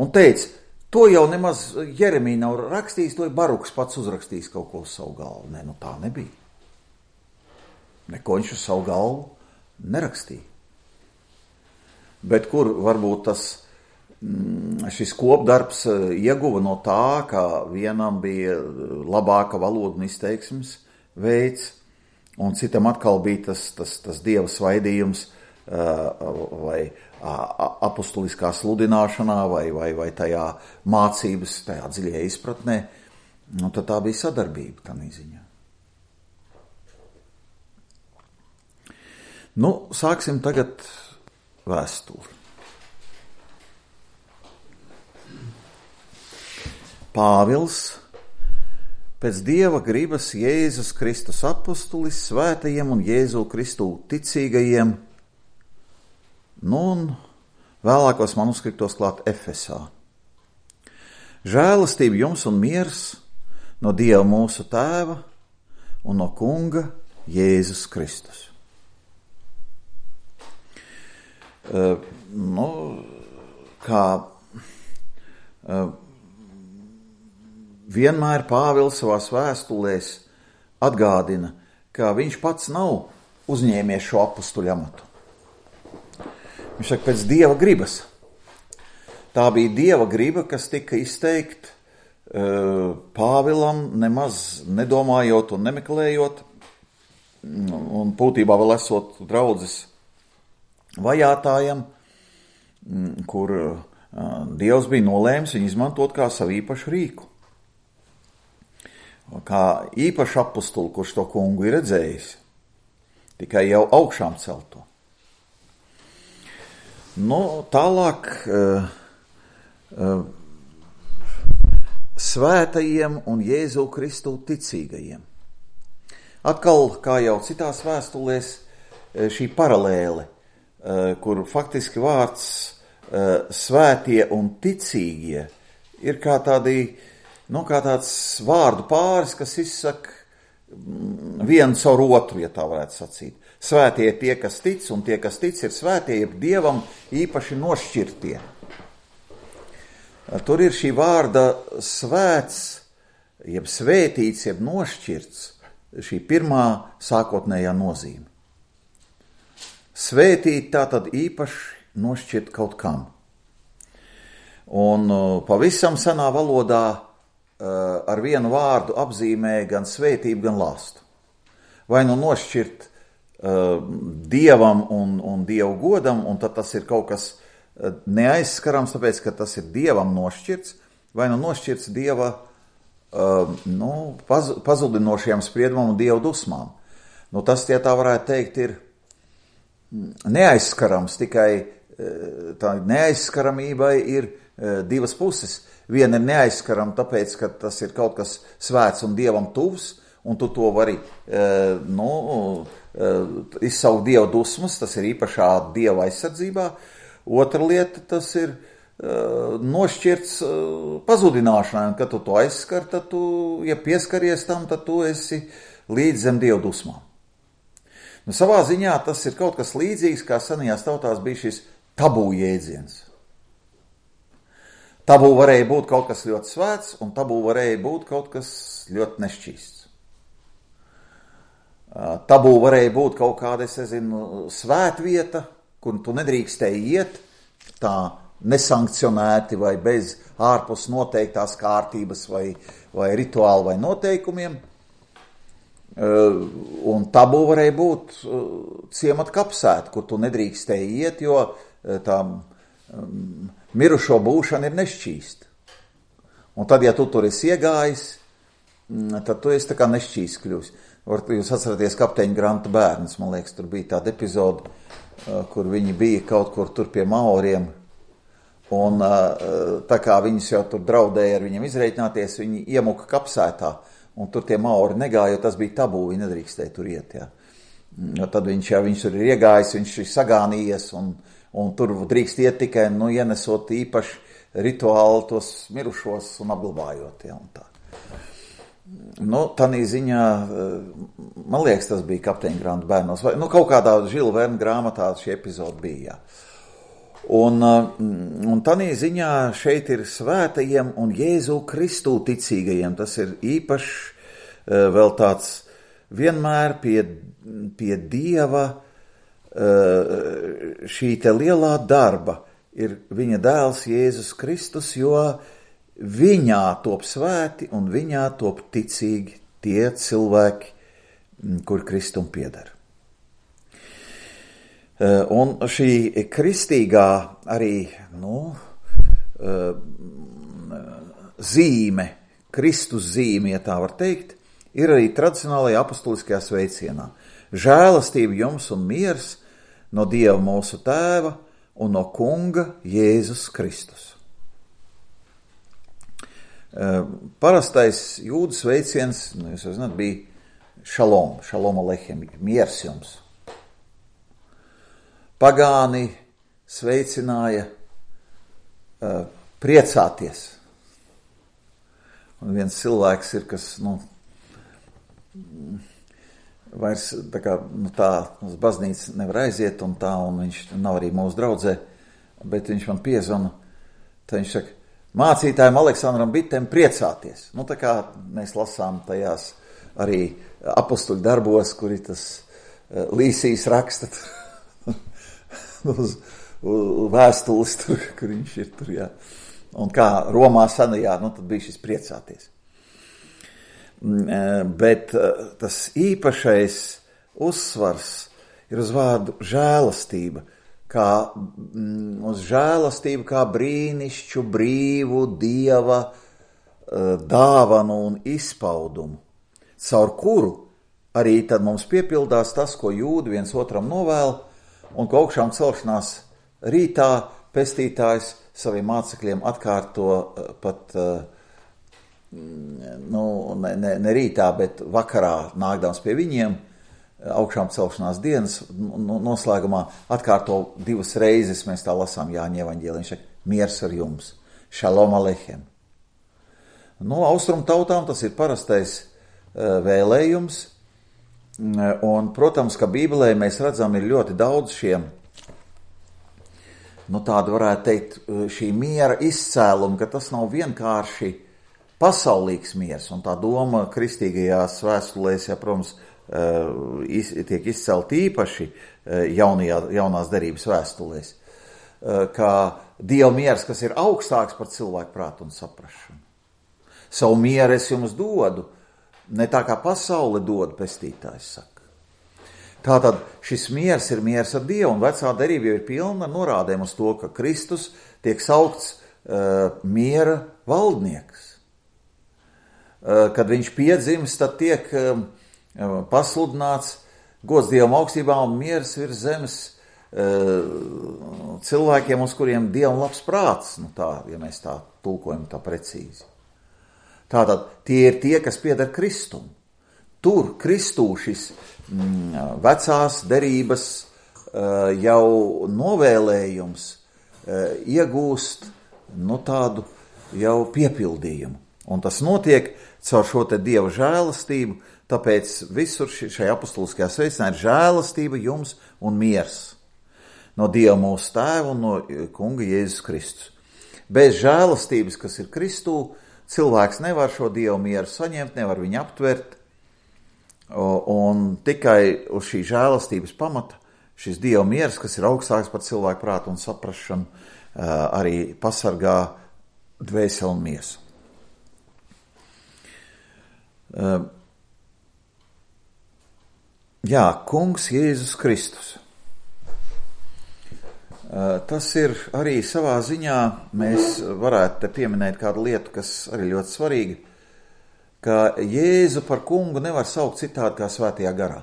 un teica, to jau nemaz Jeremija nav rakstījis, to ir Baruks pats uzrakstījis kaut ko uz savu galvu. Nē, nu tā nebija. Neko viņš uz savu galvu nerakstīja. Bet kur varbūt tas, šis kopdarbs ieguva no tā, ka vienam bija labāka valoda un izteiksmes veids, un citam atkal bija tas, tas, tas dieva svaidījums vai apustuliskā sludināšanā vai, vai, vai tajā mācības, tajā dziļajā izpratnē. Un tad tā bija sadarbība tādā ziņā. Nu, sāksim tagad vēstuli. Pāvils, pēc Dieva gribas Jēzus Kristus apustulis, svētajiem un Jēzu Kristu ticīgajiem, nu un vēlākos manuskriptos klāt Efesā. Žēlastība jums un miers no Dieva mūsu Tēva un no Kunga Jēzus Kristus. Uh, nu, kā uh, vienmēr Pāvils savās vēstulēs atgādina, ka viņš pats nav uzņēmies šo apustuļu amatu. Viņš saka, pēc Dieva gribas. Tā bija Dieva griba, kas tika izteikt uh, Pāvilam, nemaz nedomājot un nemeklējot, un būtībā vēl esot draudzes vajātājam, kur uh, Dievs bija nolēmis viņu izmantot kā savu īpašu rīku. Kā īpašu apustuli, kurš to kungu ir redzējis, tikai jau augšām celto. Nu, tālāk uh, uh, svētajiem un Jēzu Kristu ticīgajiem. Atkal, kā jau citās vēstulēs, šī paralēle, uh, kur faktiski vārds uh, svētie un ticīgie ir kā tādi, nu, kā tāds vārdu pāris, kas izsaka vienu caur otru, ja tā varētu sacīt. Svētie ir tie, kas tic, un tie, kas tic, ir svētie, ir Dievam īpaši nošķirtie. Tur ir šī vārda svēts, jeb svētīts, jeb nošķirts, šī pirmā sākotnējā nozīme. Svētīt tātad īpaši nošķirt kaut kam. Un pavisam senā valodā ar vienu vārdu apzīmē gan svētību, gan lāstu. Vai nu nošķirt uh, Dievam un, un Dievu godam, un tad tas ir kaut kas neaizskarams, tāpēc, ka tas ir Dievam nošķirts, vai nu nošķirts Dieva uh, nu, paz, pazudinošajam spriedumam un Dieva dusmām. Nu, tas, ja tā varētu teikt, ir neaizskarams, tikai uh, tā neaizskaramībai ir uh, divas puses. Viena ir neaizskarama, tāpēc, ka tas ir kaut kas svēts un Dievam tuvs, un tu to vari uh, nu, uh, izsaukt Dieva dusmas, tas ir īpašā Dieva aizsardzībā. Otra lieta, tas ir uh, nošķirts uh, pazudināšanai, un kad tu to aizskar, tad tu, ja pieskaries tam, tad tu esi līdz zem Dieva dusmām. Nu, savā ziņā tas ir kaut kas līdzīgs, kā senajās tautās bija šis tabū jēdziens. Tabū varēja būt kaut kas ļoti svēts, un tabū varēja būt kaut kas ļoti nešķīsts. Tabū varēja būt kaut kāda, es nezinu, svētvieta, kur tu nedrīkstēji iet, tā nesankcionēti vai bez ārpus noteiktās kārtības vai, vai rituālu vai noteikumiem. Un tabū varēja būt ciemata kapsēta, kur tu nedrīkstēji iet, jo tā mirušo būšana ir nešķīsta. Un tad, ja tu tur esi iegājis, tad tu esi tā kā nešķīsts kļūs. Jūs atceraties kapteiņa Granta bērns, man liekas, tur bija tāda epizode, kur viņi bija kaut kur tur pie Maoriem, Un tā kā viņus jau tur draudēja ar viņiem izreikināties, viņi iemuka kapsētā, un tur tie maori negāja, jo tas bija tabū, viņi nedrīkstēja tur iet, jā. Jo tad viņš jau, viņš tur ir iegājis, viņš ir sagānījies, un, un tur drīkst iet tikai, nu, ienesot īpaši rituāli tos mirušos un apglabājot, jā, un tā. Nu, tanī ziņā, man liekas, tas bija Kapteiņa Granta bērnos, vai, nu, kaut kādā Žila Verna grāmatā šī epizode bija, jā. Un, un tanī ziņā šeit ir svētajiem un Jēzu Kristu ticīgajiem. Tas ir īpašs vēl tāds vienmēr pie, pie Dieva šī te lielā darba ir viņa dēls Jēzus Kristus, jo viņā top svēti un viņā top ticīgi tie cilvēki, kur Kristum pieder. Un šī kristīgā arī, nu, zīme, Kristus zīme, ja tā var teikt, ir arī tradicionālajā apostuliskajā sveicienā. Žēlastība jums un miers no Dieva mūsu Tēva un no Kunga Jēzus Kristus. Parastais jūdu sveiciens, nu, jūs jau zināt, bija šalom, šalom alechem, miers jums. Pagāni sveicināja uh, priecāties. Un viens cilvēks ir, kas, nu, vairs tā kā, nu tā, uz baznīcu nevar aiziet un tā, un viņš nav arī mūsu draudzē, bet viņš man piezvana, tad viņš saka, mācītājiem Aleksandram Bitem priecāties. Nu, tā kā mēs lasām tajās arī apostuļu darbos, kuri tas uh, Līsijas raksta uz, uz vēstules tur, kur viņš ir tur, jā. Un kā Romā senajā, nu tad bija šis priecāties. Bet tas īpašais uzsvars ir uz vārdu žēlastība, kā uz žēlastību kā brīnišķu, brīvu Dieva dāvanu un izpaudumu, caur kuru arī tad mums piepildās tas, ko jūdi viens otram novēl, un ka augšām celšanās rītā pestītājs saviem mācekļiem atkārto pat, nu, ne, ne, ne rītā, bet vakarā nākdams pie viņiem, augšām celšanās dienas noslēgumā atkārto divas reizes, mēs tā lasām Jāņa evaņģēlī, viņš saka, miers ar jums, šalom alechem. Nu, austrumu tautām tas ir parastais vēlējums, un, protams, ka Bībelē mēs redzam, ir ļoti daudz šiem, nu tāda varētu teikt, šī miera izcēluma, ka tas nav vienkārši pasaulīgs miers, un tā doma kristīgajās vēstulēs, ja, protams, iz, tiek izcelt īpaši jaunajā, jaunās derības vēstulēs, kā Dieva miers, kas ir augstāks par cilvēku prātu un saprašanu. Savu mieru es jums dodu, ne tā kā pasaule dod, pestītājs saka. Tātad šis miers ir miers ar Dievu, un vecā derība jau ir pilna ar norādēm uz to, ka Kristus tiek saukts uh, miera valdnieks. Uh, kad viņš piedzimst, tad tiek uh, pasludināts gods Dievam augstībā un miers virs zemes uh, cilvēkiem, uz kuriem Dievam labs prāts, nu tā, ja mēs tā tulkojam tā precīzi. Tātad tie ir tie, kas pieder Kristum. Tur Kristū šis mm, vecās derības uh, jau novēlējums uh, iegūst nu, tādu jau piepildījumu. Un tas notiek caur šo te Dieva žēlastību, tāpēc visur šajā apostuliskajā sveicinā ir žēlastība jums un miers no Dieva mūsu Tēva un no Kunga Jēzus Kristus. Bez žēlastības, kas ir Kristū, cilvēks nevar šo Dievu mieru saņemt, nevar viņu aptvert, un tikai uz šī žēlastības pamata šis Dieva miers, kas ir augstāks par cilvēku prātu un saprašanu, arī pasargā dvēseli un miesu. Jā, Kungs Jēzus Kristus. Tas ir arī savā ziņā, mēs varētu te pieminēt kādu lietu, kas arī ļoti svarīga, ka Jēzu par kungu nevar saukt citādi kā svētajā garā.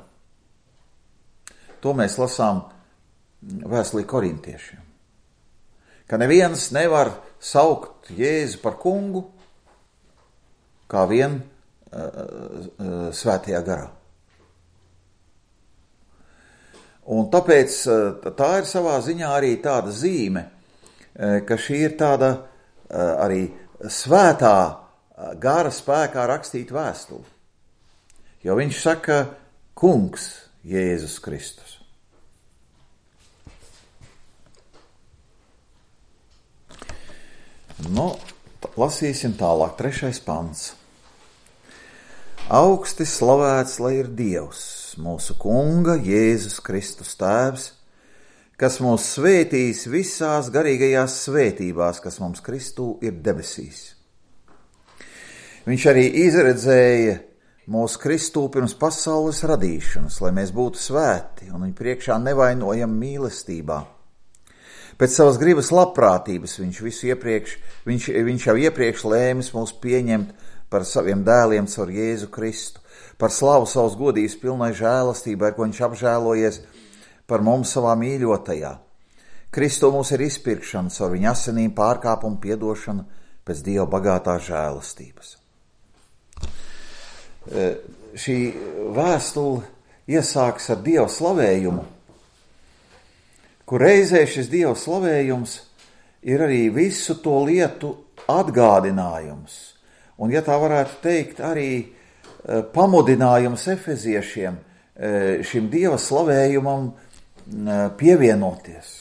To mēs lasām vēstulī korintiešiem. ka neviens nevar saukt Jēzu par kungu, kā vien uh, uh, svētajā garā. Un tāpēc uh, tā ir savā ziņā arī tāda zīme, uh, ka šī ir tāda uh, arī svētā uh, gara spēkā rakstīta vēstule. Jo viņš saka, kungs Jēzus Kristus. Nu, lasīsim tālāk, trešais pants. Augsti slavēts, lai ir Dievs, mūsu kunga Jēzus Kristus tēvs, kas mūs svētīs visās garīgajās svētībās, kas mums Kristū ir debesīs. Viņš arī izredzēja mūsu Kristū pirms pasaules radīšanas, lai mēs būtu svēti un viņa priekšā nevainojam mīlestībā. Pēc savas gribas labprātības viņš, visu iepriekš, viņš, viņš jau iepriekš lēmis mūs pieņemt par saviem dēliem caur Jēzu Kristu, par slavu savas godības pilnai žēlastībai, ar ko viņš apžēlojies par mums savā mīļotajā. Kristu mums ir izpirkšana caur viņa asinīm, pārkāpumu piedošana pēc Dieva bagātās žēlastības. E, šī vēstule iesākas ar Dieva slavējumu, kur reizē šis Dieva slavējums ir arī visu to lietu atgādinājums. Un, ja tā varētu teikt, arī e, pamudinājums efeziešiem e, šim Dieva slavējumam e, pievienoties.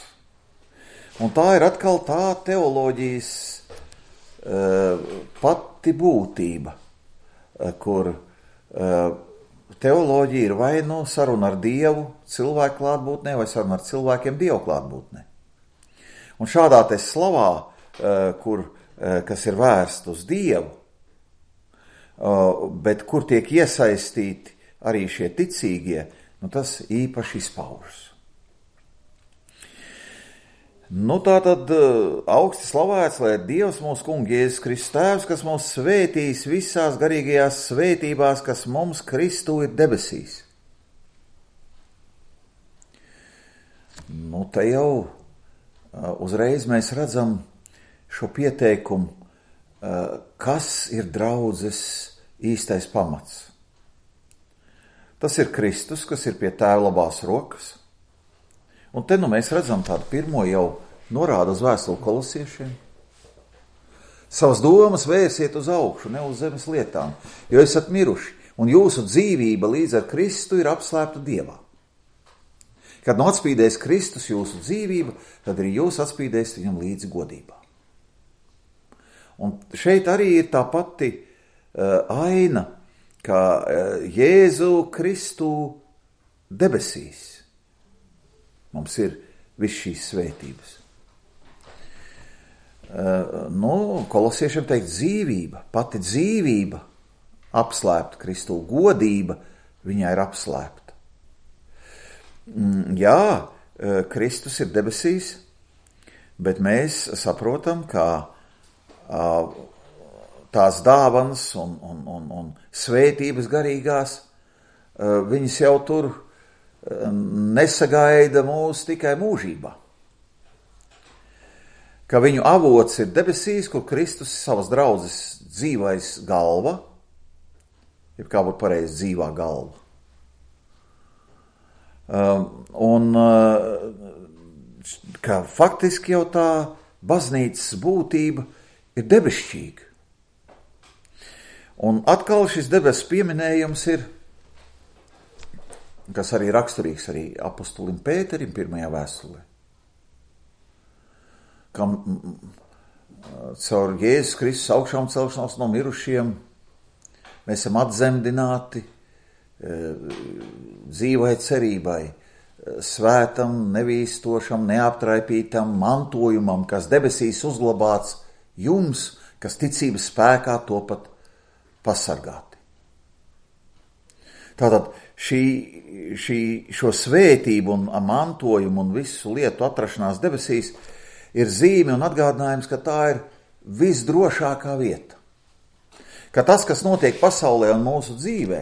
Un tā ir atkal tā teoloģijas e, pati būtība, e, kur e, teoloģija ir vai nu saruna ar Dievu cilvēku klātbūtnē, vai saruna ar cilvēkiem Dievu klātbūtnē. Un šādā te slavā, kur, kas ir vērsta uz Dievu, bet kur tiek iesaistīti arī šie ticīgie, nu tas īpaši izpaužas. Nu tā tad augsti slavēts, lai Dievs mūsu kungs Jēzus Kristus tēvs, kas mūs svētīs visās garīgajās svētībās, kas mums Kristū ir debesīs. Nu te jau uzreiz mēs redzam šo pieteikumu, kas ir draudzes īstais pamats. Tas ir Kristus, kas ir pie tēva labās rokas. Un te nu mēs redzam tādu pirmo jau norādu uz vēstuli kolosiešiem. Savas domas vērsiet uz augšu, ne uz zemes lietām, jo esat miruši, un jūsu dzīvība līdz ar Kristu ir apslēpta Dievā. Kad nu atspīdēs Kristus jūsu dzīvība, tad arī jūs atspīdēs viņam līdzi godībā. Un šeit arī ir tā pati uh, aina, kā uh, Jēzu Kristu debesīs. Mums ir viss šīs svētības. Uh, nu, kolosiešiem teikt dzīvība, pati dzīvība apslēpta Kristū, godība viņai ir apslēpta. Mm, jā, uh, Kristus ir debesīs, bet mēs saprotam, ka uh, tās dāvanas un, un, un, un svētības garīgās, uh, viņas jau tur nesagaida mūs tikai mūžībā. Ka viņu avots ir debesīs, kur Kristus savas draudzes dzīvais galva, jeb kā būtu pareizi dzīvā galva. Um, un uh, ka faktiski jau tā baznīcas būtība ir debesšķīga. Un atkal šis debesu pieminējums ir, kas arī raksturīgs arī apostolim Pēterim pirmajā vēstulē, kam caur Jēzus Kristus augšām celšanos no mirušiem mēs esam atzemdināti dzīvai cerībai, svētam, nevīstošam, neaptraipītam mantojumam, kas debesīs uzglabāts jums, kas ticības spēkā topat pasargāti. Tātad šī, šī, šo svētību un mantojumu un visu lietu atrašanās debesīs ir zīme un atgādinājums, ka tā ir visdrošākā vieta. Ka tas, kas notiek pasaulē un mūsu dzīvē,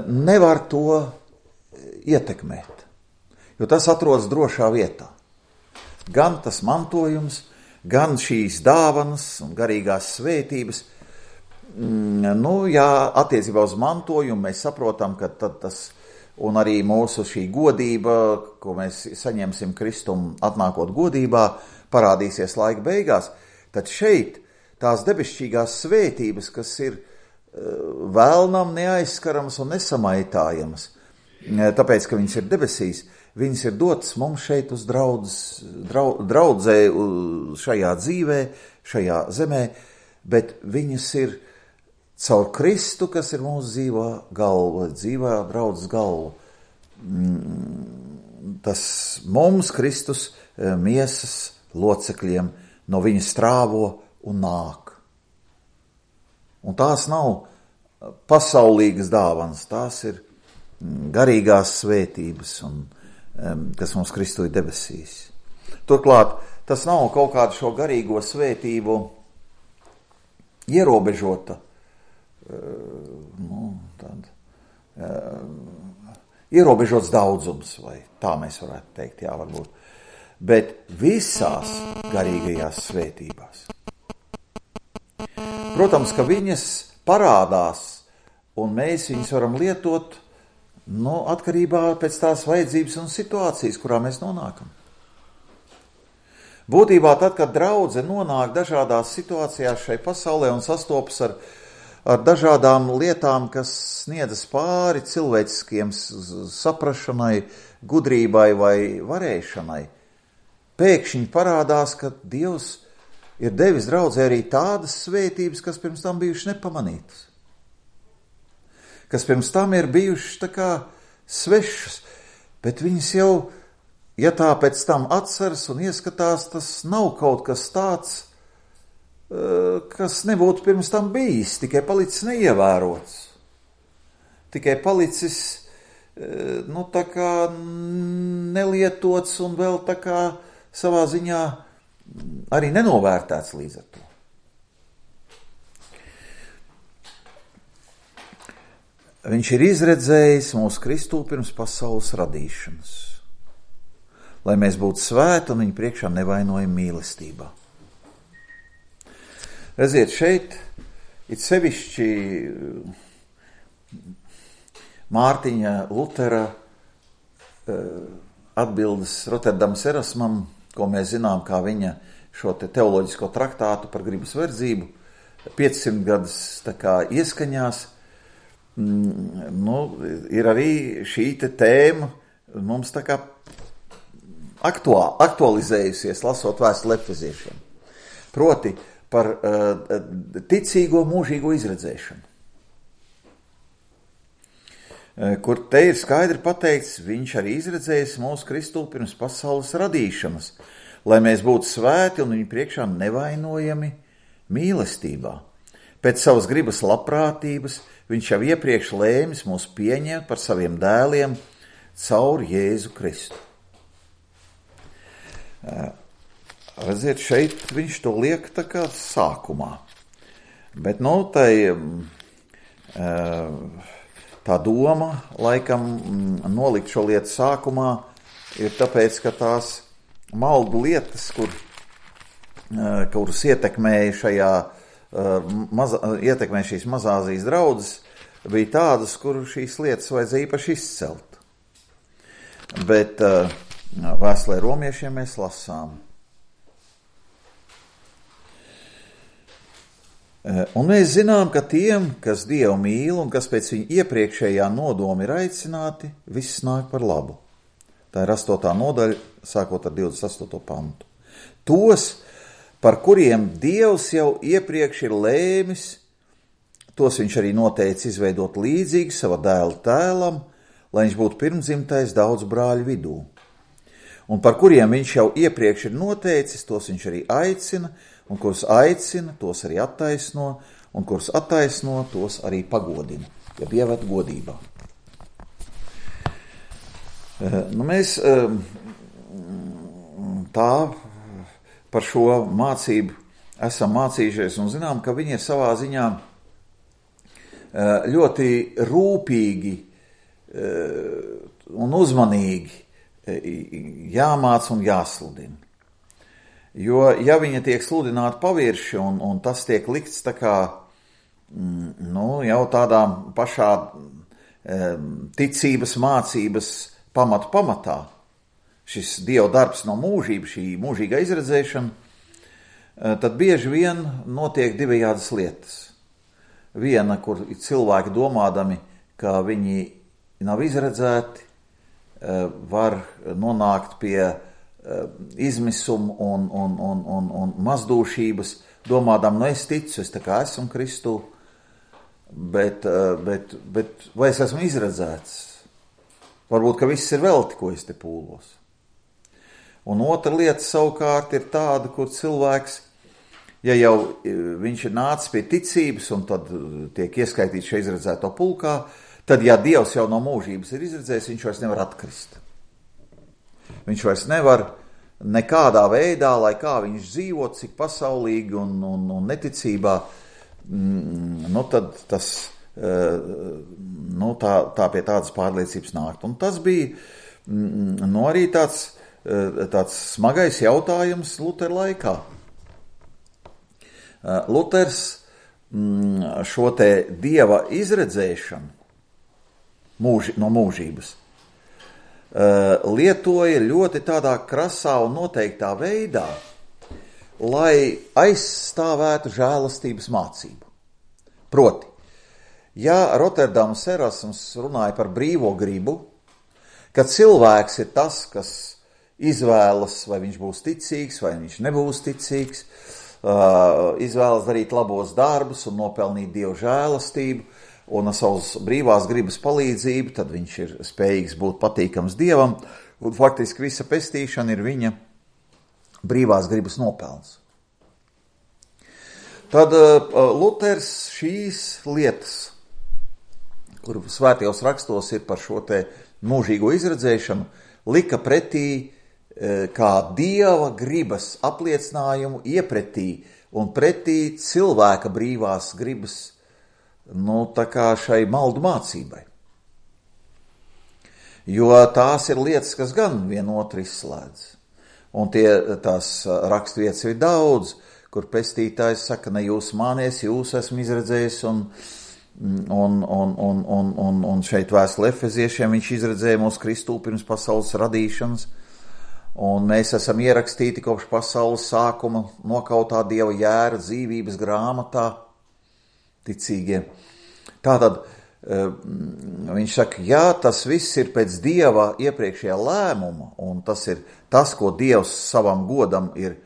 nevar to ietekmēt, jo tas atrodas drošā vietā. gan tas mantojums, gan šīs dāvanas un garīgās svētības. Nu, jā, attiecībā uz mantojumu mēs saprotam, ka tad tas, un arī mūsu šī godība, ko mēs saņemsim Kristum atnākot godībā, parādīsies laika beigās. Tad šeit tās debesšķīgās svētības, kas ir vēlnam neaizskaramas un nesamaitājamas, tāpēc, ka viņas ir debesīs, viņas ir dotas mums šeit uz draudz, draudz, draudzē šajā dzīvē, šajā zemē, bet viņas ir caur Kristu, kas ir mūsu dzīvā galva, dzīvā draudzes galva. Tas mums, Kristus, miesas locekļiem, no viņa strāvo un nāk. Un tās nav pasaulīgas dāvanas, tās ir garīgās svētības, un, kas mums Kristu ir debesīs. Turklāt, tas nav kaut kāda šo garīgo svētību ierobežota, nu, tad, ierobežots daudzums, vai tā mēs varētu teikt, jā, varbūt, bet visās garīgajās svētībās. Protams, ka viņas parādās, un mēs viņas varam lietot, nu, atkarībā pēc tās vajadzības un situācijas, kurā mēs nonākam. Būtībā tad, kad draudze nonāk dažādās situācijās šai pasaulē un sastopas ar, ar dažādām lietām, kas sniedzas pāri cilvēciskiem saprašanai, gudrībai vai varēšanai, pēkšņi parādās, ka Dievs ir devis draudzē arī tādas svētības, kas pirms tam bijušas nepamanītas, kas pirms tam ir bijušas tā kā svešas, bet viņas jau, ja tā pēc tam atceras un ieskatās, tas nav kaut kas tāds, kas nebūtu pirms tam bijis, tikai palicis neievērots, tikai palicis, nu, tā kā nelietots un vēl tā kā savā ziņā arī nenovērtēts līdz ar to. Viņš ir izredzējis mūsu Kristu pirms pasaules radīšanas, lai mēs būtu svēti un viņa priekšā nevainojami mīlestībā. Redziet, šeit it sevišķi Mārtiņa Lutera atbildes Rotterdams Erasmam, ko mēs zinām, kā viņa šo te teoloģisko traktātu par gribas verdzību piecsimt gadus tā kā ieskaņās, nu, ir arī šī te tēma mums tā kā aktuā, aktualizējusies, lasot vēstuli Efeziešiem. Proti par uh, ticīgo mūžīgo izredzēšanu. Uh, kur te ir skaidri pateikts, viņš arī izredzējis mūsu Kristu pirms pasaules radīšanas, lai mēs būtu svēti un viņu priekšā nevainojami mīlestībā. Pēc savas gribas labprātības viņš jau iepriekš lēmis mūs pieņemt par saviem dēliem caur Jēzu Kristu. Redziet, šeit viņš to liek tā kā sākumā. Bet, nu, tai, tā doma, laikam, nolikt šo lietu sākumā, ir tāpēc, ka tās maldu lietas, kur, kuras ietekmēja šajā Maza, ietekmē šīs Mazāzijas draudzes, bija tādas, kur šīs lietas vajadzēja īpaši izcelt. Bet uh, vēstulē romiešiem mēs lasām. Uh, un mēs zinām, ka tiem, kas Dievu mīl un kas pēc viņa iepriekšējā nodoma ir aicināti, viss nāk par labu. Tā ir astotā nodaļa, sākot ar divdesmit astoto pantu. Tos, par kuriem Dievs jau iepriekš ir lēmis, tos viņš arī noteica izveidot līdzīgi sava dēla tēlam, lai viņš būtu pirmdzimtais daudz brāļu vidū. Un par kuriem viņš jau iepriekš ir noteicis, tos viņš arī aicina, un kurus aicina, tos arī attaisno, un kurus attaisno, tos arī pagodina, ja ieved godībā. Nu, mēs tā par šo mācību esam mācījušies un zinām, ka viņi ir savā ziņā ļoti rūpīgi un uzmanīgi jāmāc un jāsludina. Jo, ja viņa tiek sludināta pavirši un, un tas tiek likts tā kā, nu, jau tādā pašā e, ticības mācības pamatu pamatā, šis Dieva darbs no mūžības, šī mūžīgā izredzēšana, e, tad bieži vien notiek divējādas lietas. Viena, kur cilvēki domādami, ka viņi nav izredzēti, e, var nonākt pie izmisumu un, un, un, un, un mazdūšības, domādām, nu es ticu, es tā kā esmu Kristū, bet, bet, bet vai es esmu izredzēts? Varbūt, ka viss ir velti, ko es te pūlos. Un otra lieta savukārt ir tāda, kur cilvēks, ja jau viņš ir nācis pie ticības un tad tiek ieskaitīts šeit izredzēto pulkā, tad, ja Dievs jau no mūžības ir izredzējis, viņš vairs nevar atkrist. Viņš vairs nevar nekādā veidā, lai kā viņš dzīvo, cik pasaulīgi un, un, un neticībā, mm, nu tad tas, nu tā, tā pie tādas pārliecības nākt. Un tas bija, mm, nu arī tāds, tāds smagais jautājums Lutera laikā. Luters mm, šo te Dieva izredzēšanu mūži, no mūžības lietoja ļoti tādā krasā un noteiktā veidā, lai aizstāvētu žēlastības mācību. Proti, ja Rotterdams Erasms runāja par brīvo gribu, ka cilvēks ir tas, kas izvēlas, vai viņš būs ticīgs, vai viņš nebūs ticīgs, izvēlas darīt labos darbus un nopelnīt Dievu žēlastību, un ar savas brīvās gribas palīdzību, tad viņš ir spējīgs būt patīkams Dievam, un faktiski visa pestīšana ir viņa brīvās gribas nopelns. Tad uh, Luters šīs lietas, kur svētajos rakstos ir par šo te mūžīgo izredzēšanu, lika pretī uh, kā Dieva gribas apliecinājumu iepretī un pretī cilvēka brīvās gribas, nu, tā kā šai maldu mācībai. Jo tās ir lietas, kas gan vienotru izslēdz. Un tie, tās rakstvietas ir daudz, kur pestītājs saka, ne jūs mānies, jūs esmu izredzējis, un, un, un, un, un, un, un šeit vēstule Efeziešiem viņš izredzēja mūsu Kristū pirms pasaules radīšanas, un mēs esam ierakstīti kopš pasaules sākuma nokautā Dieva jēra dzīvības grāmatā, ticīgie. Tātad viņš saka, jā, tas viss ir pēc Dieva iepriekšējā lēmuma, un tas ir tas, ko Dievs savam godam ir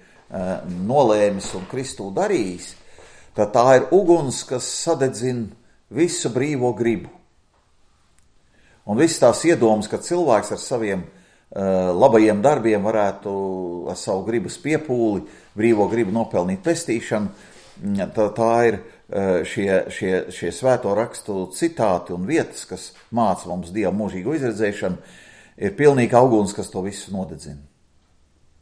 nolēmis un Kristū darījis, tad tā ir uguns, kas sadedzina visu brīvo gribu. Un viss tās iedomas, ka cilvēks ar saviem labajiem darbiem varētu ar savu gribas piepūli, brīvo gribu nopelnīt pestīšanu, tā, tā ir šie, šie, šie svēto rakstu citāti un vietas, kas māca mums Dieva mūžīgo izredzēšanu, ir pilnīgi auguns, kas to visu nodedzina.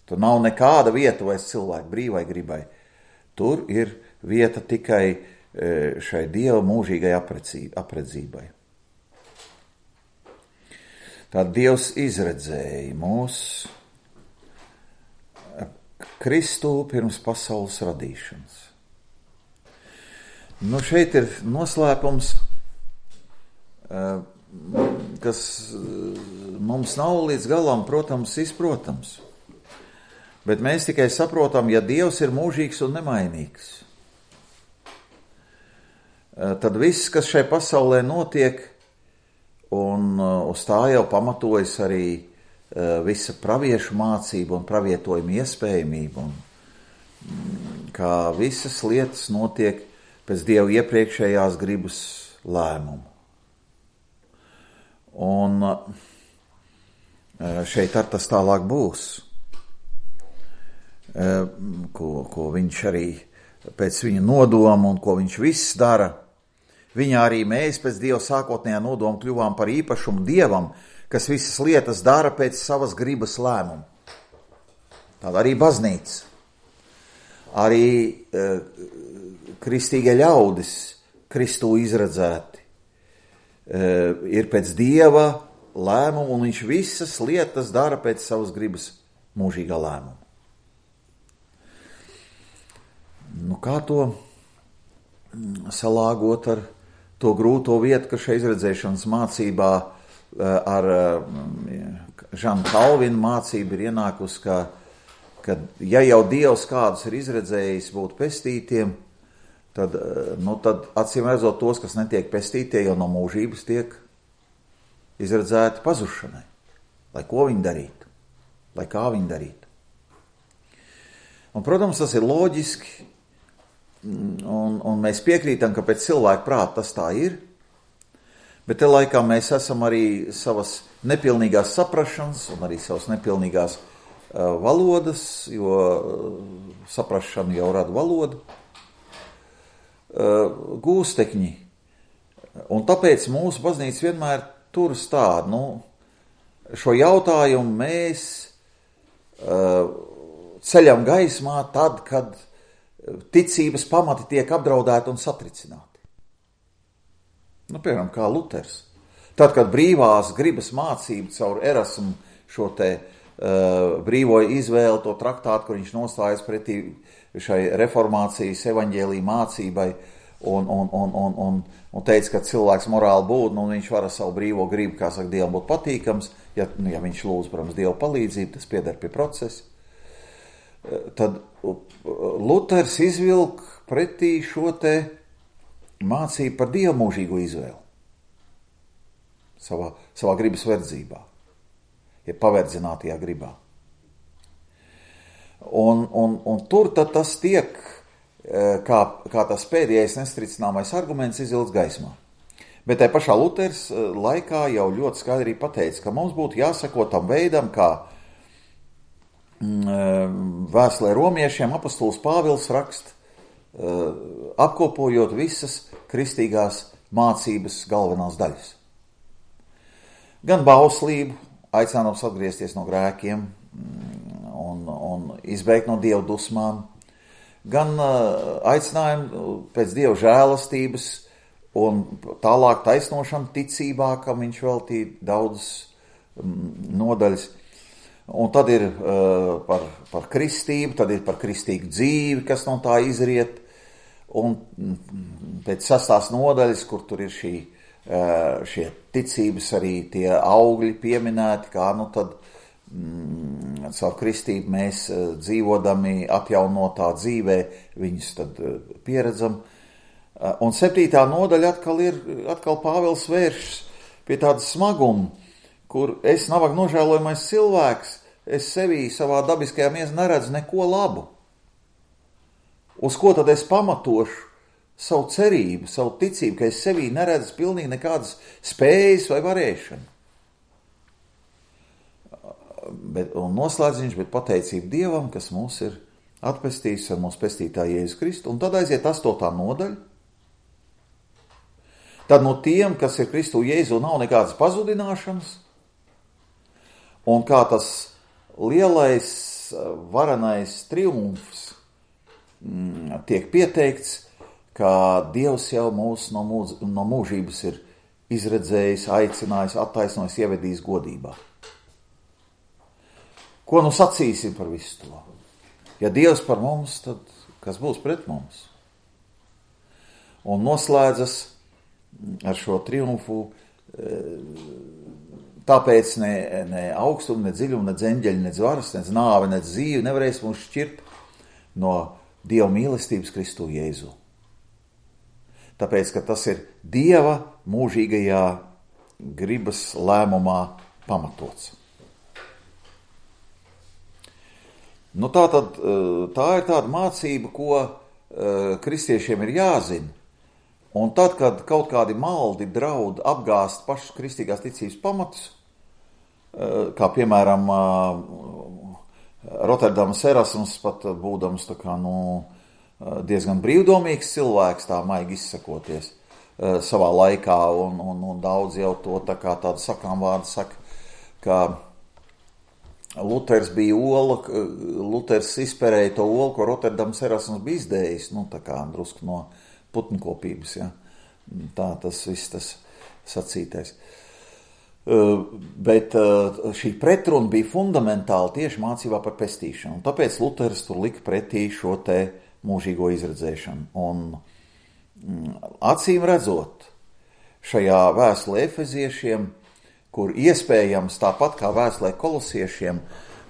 Tur nav nekāda vieta vairs cilvēku brīvai gribai. Tur ir vieta tikai šai Dieva mūžīgai apredzībai. Tā Dievs izredzēja mūs Kristū pirms pasaules radīšanas. Nu, šeit ir noslēpums, kas mums nav līdz galam, protams, izprotams. Bet mēs tikai saprotam, ja Dievs ir mūžīgs un nemainīgs, tad viss, kas šai pasaulē notiek, un uz tā jau pamatojas arī visa praviešu mācība un pravietojuma iespējamība, un kā visas lietas notiek pēc Dieva iepriekšējās gribas lēmumu. Un šeit ar tas tālāk būs, ko, ko viņš arī pēc viņa nodoma un ko viņš viss dara. Viņā arī mēs pēc Dieva sākotnējā nodoma kļuvām par īpašumu Dievam, kas visas lietas dara pēc savas gribas lēmumu. Tāda arī baznīca. Arī kristīgie ļaudis, Kristū izredzēti, ir pēc Dieva lēmumu, un viņš visas lietas dara pēc savas gribas mūžīgā lēmuma. nu kā to salāgot ar to grūto vietu, ka šeit izredzēšanas mācībā ar Žanu Kalvinu mācību ir ienākusi, ka, ka ja jau Dievs kādus ir izredzējis būt pestītiem, tad, nu, tad acīm redzot tos, kas netiek pestītie, jau no mūžības tiek izredzēti pazušanai. Lai ko viņi darītu, lai kā viņi darītu. Un, protams, tas ir loģiski, un, un mēs piekrītam, ka pēc cilvēka prāta tas tā ir, bet te laikā mēs esam arī savas nepilnīgās saprašanas un arī savas nepilnīgās uh, valodas, jo uh, saprašana jau rada valodu, uh, gūstekņi. Un tāpēc mūsu baznīca vienmēr turas tādu, nu, šo jautājumu mēs uh, ceļam gaismā tad, kad ticības pamati tiek apdraudēti un satricināti. Nu, piemēram, kā Luters. Tad, kad brīvās gribas mācība caur Erasmu šo te uh, brīvo izvēli, to traktātu, kur viņš nostājas pretī šai reformācijas evaņģēlija mācībai un, un, un, un, un, un teica, ka cilvēks morāli būtne un viņš var ar savu brīvo gribu, kā saka, Dievam būt patīkams, ja, ja viņš lūdz, protams, Dieva palīdzību, tas pieder pie procesa. Tad Luters izvilk pretī šo te mācību par Dievu mūžīgo izvēli savā, savā gribas verdzībā, ja paverdzinātajā gribā. Un, un, un tur tad tas tiek, kā, kā tas pēdējais nestricināmais arguments izvilks gaismā. Bet tai pašā Luters laikā jau ļoti skaidri pateica, ka mums būtu jāsako tam veidam, kā vēstulē romiešiem apostols Pāvils raksta, apkopojot visas kristīgās mācības galvenās daļas. Gan bauslību, aicinājums atgriezties no grēkiem un, un izbeigt no Dieva dusmām, gan aicinājumu pēc Dieva žēlastības un tālāk taisnošanu ticībā, kam viņš veltīja daudz nodaļas. Un tad ir uh, par, par kristību, tad ir par kristīgu dzīvi, kas no tā izriet, un pēc sastās nodaļas, kur tur ir šī, uh, šie ticības arī tie augļi pieminēti, kā nu tad mm, caur kristību mēs uh, dzīvodami atjaunotā dzīvē, viņus tad uh, pieredzam. Uh, un septītā nodaļa atkal ir, atkal Pāvils vēršas pie tāda smaguma, kur es nabaga nožēlojamais cilvēks, es sevī savā dabiskajā miesā neredzu neko labu. Uz ko tad es pamatošu savu cerību, savu ticību, ka es sevī neredzu pilnīgi nekādas spējas vai varēšanu. Bet, un noslēdz viņš, bet pateicība Dievam, kas mūs ir atpestījis ar mūsu pestītāju Jēzu Kristu, un tad aiziet astotā nodaļa. Tad no tiem, kas ir Kristu Jēzu, nav nekādas pazudināšanas, un kā tas lielais, varenais triumfs mm, tiek pieteikts, ka Dievs jau mūs no, mūs, no mūžības ir izredzējis, aicinājis, attaisnojis, ievedījis godībā. Ko nu sacīsim par visu to? Ja Dievs par mums, tad kas būs pret mums? Un noslēdzas ar šo triumfu, tāpēc ne, ne augstumu, ne dziļumu, ne dzeņģeļu, ne varas, ne nāve, ne dzīvi nevarēs mūs šķirt no Dieva mīlestības Kristu Jēzu. Tāpēc, ka tas ir Dieva mūžīgajā gribas lēmumā pamatots. Nu tā tad, tā ir tāda mācība, ko kristiešiem ir jāzina. Un tad, kad kaut kādi maldi draud apgāst pašus kristīgās ticības pamatus, kā piemēram Rotterdamas Erasms, pat būdams tā kā, nu, diezgan brīvdomīgs cilvēks, tā maigi izsakoties savā laikā, un, un, un daudz jau to tā kā tādu sakām vārdu saka, ka Luters bija ola, Luters izperēja to olu, ko Rotterdamas Erasms bija izdējis, nu tā kā drusku no putnkopības, ja. Tā tas viss tas sacītais. Bet šī pretruna bija fundamentāli tieši mācībā par pestīšanu. Un tāpēc Luters tur lika pretī šo te mūžīgo izredzēšanu. Un acīm redzot, šajā vēstulē Efeziešiem, kur iespējams tāpat kā vēstulē Kolosiešiem,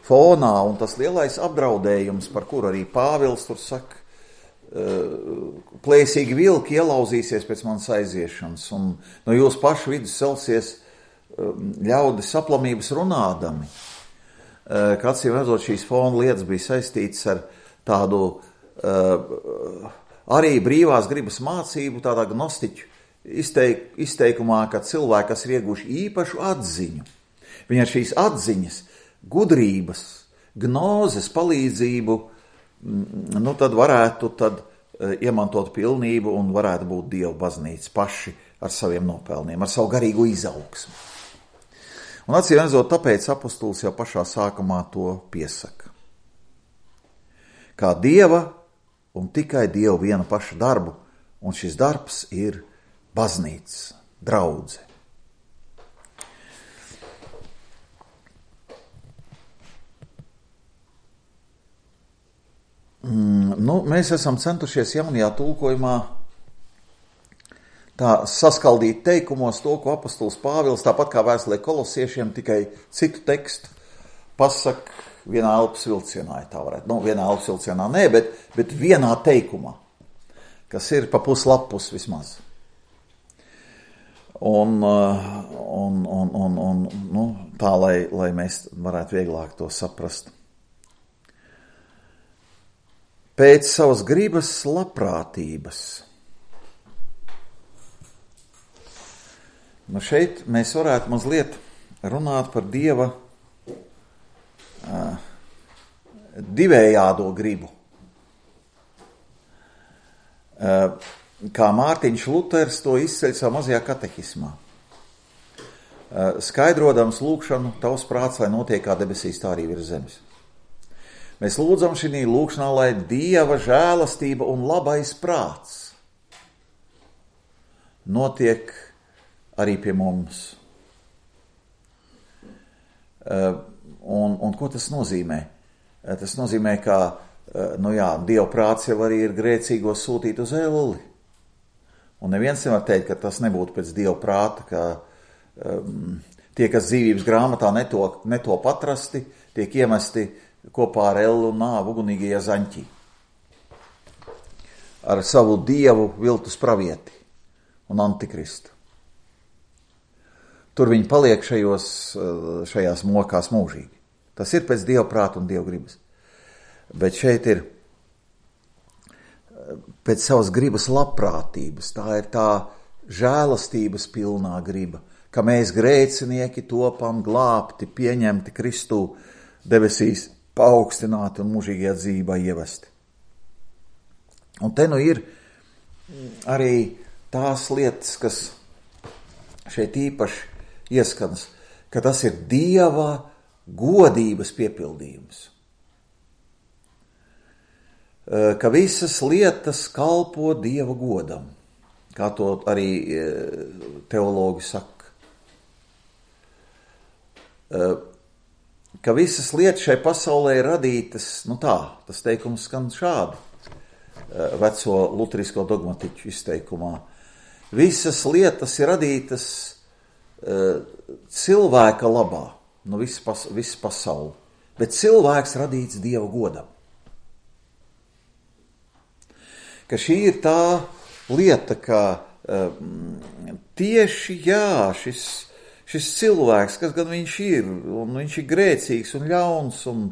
fonā un tas lielais apdraudējums, par kuru arī Pāvils tur saka, plēsīgi vilki ielauzīsies pēc manas aiziešanas, un no jūsu pašu vidus celsies ļaudis aplamības runādami. Kā acīm redzot, šīs fona lietas bija saistītas ar tādu arī brīvās gribas mācību, tādā gnostiķu izteik, izteikumā, ka cilvēki, kas ir ieguši īpašu atziņu, viņi ar šīs atziņas, gudrības, gnozes palīdzību, nu tad varētu tad iemantot pilnību un varētu būt Dieva baznīca paši ar saviem nopelniem, ar savu garīgu izaugsmu. Un acīm redzot, tāpēc apostols jau pašā sākumā to piesaka. Kā Dieva un tikai Dieva viena paša darbu, un šis darbs ir baznīca, draudze. Mm, nu, mēs esam centušies jaunajā tulkojumā tā saskaldīt teikumos to, ko apostols Pāvils, tāpat kā vēstulē Kolosiešiem, tikai citu tekstu pasaka vienā elpas vilcienā, ja tā varētu. Nu, vienā elpas vilcienā nē, bet, bet vienā teikumā, kas ir pa puslapus vismaz. Un, un, un, un, un nu, tā, lai, lai mēs varētu vieglāk to saprast. Pēc savas gribas labprātības. Nu šeit mēs varētu mazliet runāt par Dieva uh, divējādo gribu. Uh, kā Mārtiņš Luters to izceļ savā mazajā katehismā. Uh, skaidrodams lūgšanu, tavs prāts, lai notiek kā debesīs, tā arī virs zemes. Mēs lūdzam šī lūgšanā, lai Dieva žēlastība un labais prāts notiek arī pie mums. Uh, un, un ko tas nozīmē? Uh, tas nozīmē, ka uh, nu jā, Dieva prāts jau arī ir grēcīgo sūtīt uz elli. Un neviens nevar teikt, ka tas nebūtu pēc Dieva prāta, ka um, tie, kas dzīvības grāmatā neto, neto patrasti, tiek iemesti kopā ar ellu un nāvu ugunīgajā zaņķī. Ar savu dievu viltus pravieti un antikristu. Tur viņi paliek šajos, šajās mokās mūžīgi. Tas ir pēc Dieva prāta un Dieva gribas. Bet šeit ir pēc savas gribas labprātības. Tā ir tā žēlastības pilnā griba, ka mēs grēcinieki topam glābti, pieņemti Kristū debesīs, paaugstināti un mūžīgajā dzīvībā ievesti. Un te nu ir arī tās lietas, kas šeit īpaši ieskanas, ka tas ir Dieva godības piepildījums. Ka visas lietas kalpo Dieva godam, kā to arī teologi saka. Ka visas lietas šai pasaulē ir radītas, nu tā, tas teikums skan šādi, veco luterisko dogmatiķu izteikumā. Visas lietas ir radītas uh, cilvēka labā, nu viss pas, viss pasauli, bet cilvēks radīts Dieva godam. Ka šī ir tā lieta, ka uh, tieši jā, šis Šis cilvēks, kas gan viņš ir, un viņš ir grēcīgs un ļauns, un,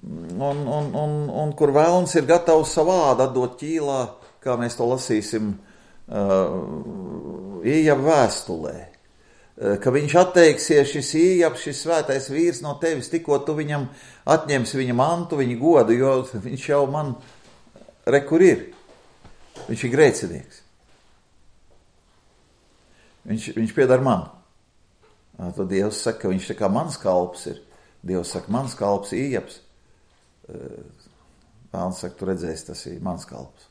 un, un, un, un kur vēlns ir gatavs savādi atdot ķīlā, kā mēs to lasīsim uh, Ījaba vēstulē. Uh, ka viņš atteiksies, šis Ījabs, šis svētais vīrs no tevis, tikko tu viņam atņemsi viņa mantu, viņa godu, jo viņš jau man re, kur ir. Viņš ir grēcinieks. Viņš, viņš piedar man. Tad Dievs saka, ka viņš tā kā mans kalps ir. Dievs saka, mans kalps Ījabs. Vēlns saka, tu redzēsi, tas ir mans kalps.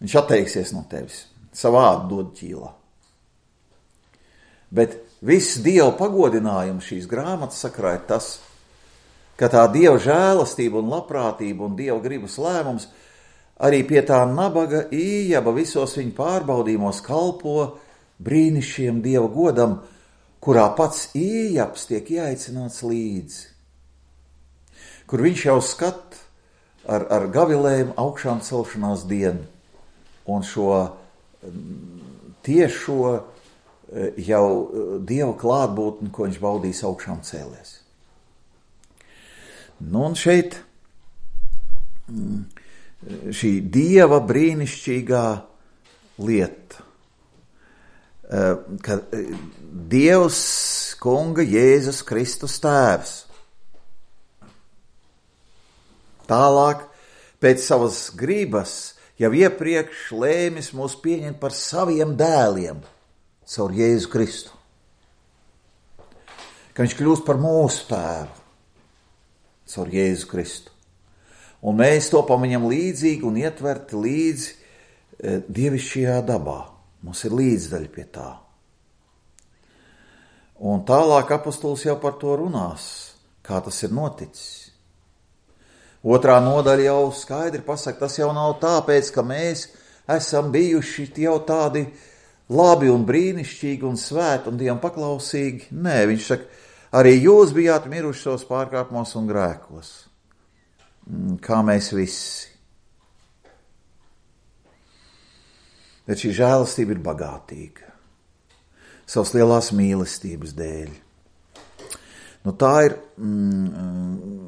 Viņš atteiksies no tevis. Savādi dod ķīlā. Bet viss Dieva pagodinājums šīs grāmatas sakrā ir tas, ka tā Dieva žēlastība un labprātība un Dieva gribas lēmums arī pie tā nabaga Ījaba visos viņa pārbaudījumos kalpo brīnišķiem Dieva godam, kurā pats Ījabs tiek ieaicināts līdzi, kur viņš jau skat ar, ar gavilēm augšām celšanās dienu un šo tiešo jau Dieva klātbūtni, ko viņš baudīs augšām cēlies. Nu un šeit šī Dieva brīnišķīgā lieta, ka Dievs Kunga Jēzus Kristus tēvs tālāk pēc savas gribas jau iepriekš lēmis mūs pieņemt par saviem dēliem caur Jēzu Kristu. Ka viņš kļūst par mūsu tēvu caur Jēzu Kristu. Un mēs topam viņam līdzīgi un ietverti līdzi e, dievišķajā dabā. Mums ir līdzdaļa pie tā. Un tālāk apostols jau par to runās, kā tas ir noticis. Otrā nodaļa jau skaidri pasaka, tas jau nav tāpēc, ka mēs esam bijuši jau tādi labi un brīnišķīgi un svēti un Dievam paklausīgi. Nē, viņš saka, arī jūs bijāt miruši savos pārkāpumos un grēkos, kā mēs visi. Bet šī žēlastība ir bagātīga, savas lielās mīlestības dēļ. Nu, tā ir mm,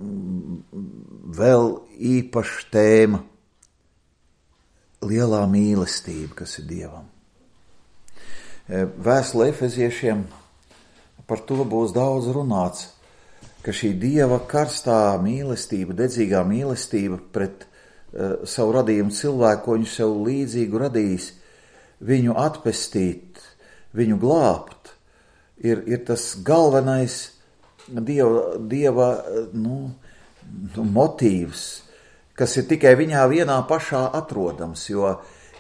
vēl īpaša tēma, lielā mīlestība, kas ir Dievam. Vēstule Efeziešiem par to būs daudz runāts, ka šī Dieva karstā mīlestība, dedzīgā mīlestība pret uh, savu radījumu cilvēku, ko viņš sev līdzīgu radījis, viņu atpestīt, viņu glābt, ir, ir tas galvenais Dieva, dieva nu, motīvs, kas ir tikai viņā vienā pašā atrodams, jo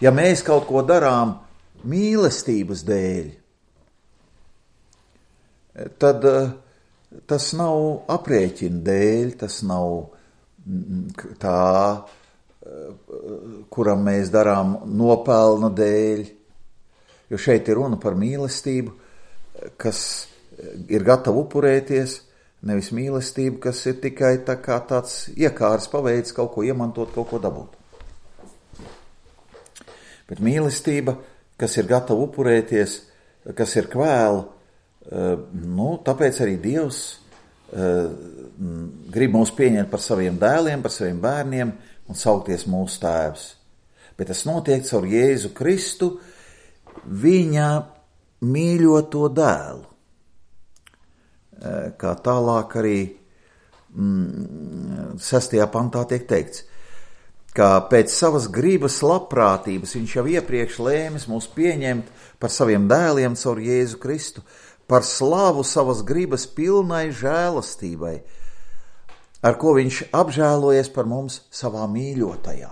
ja mēs kaut ko darām mīlestības dēļ, tad uh, tas nav aprēķina dēļ, tas nav tā, kuram mēs darām nopelna dēļ, jo šeit ir runa par mīlestību, kas ir gatava upurēties, nevis mīlestību, kas ir tikai tā kā tāds iekārs paveids kaut ko iemantot, kaut ko dabūt. Bet mīlestība, kas ir gatava upurēties, kas ir kvēla, nu, tāpēc arī Dievs uh, grib mūs pieņemt par saviem dēliem, par saviem bērniem un saukties mūsu tēvs. Bet tas notiek caur Jēzu Kristu, viņa mīļoto dēlu. Uh, kā tālāk arī mm, sestajā pantā tiek teikts, ka pēc savas gribas labprātības viņš jau iepriekš lēmis mūs pieņemt par saviem dēliem caur Jēzu Kristu, par slavu savas gribas pilnai žēlastībai, ar ko viņš apžēlojies par mums savā mīļotajā.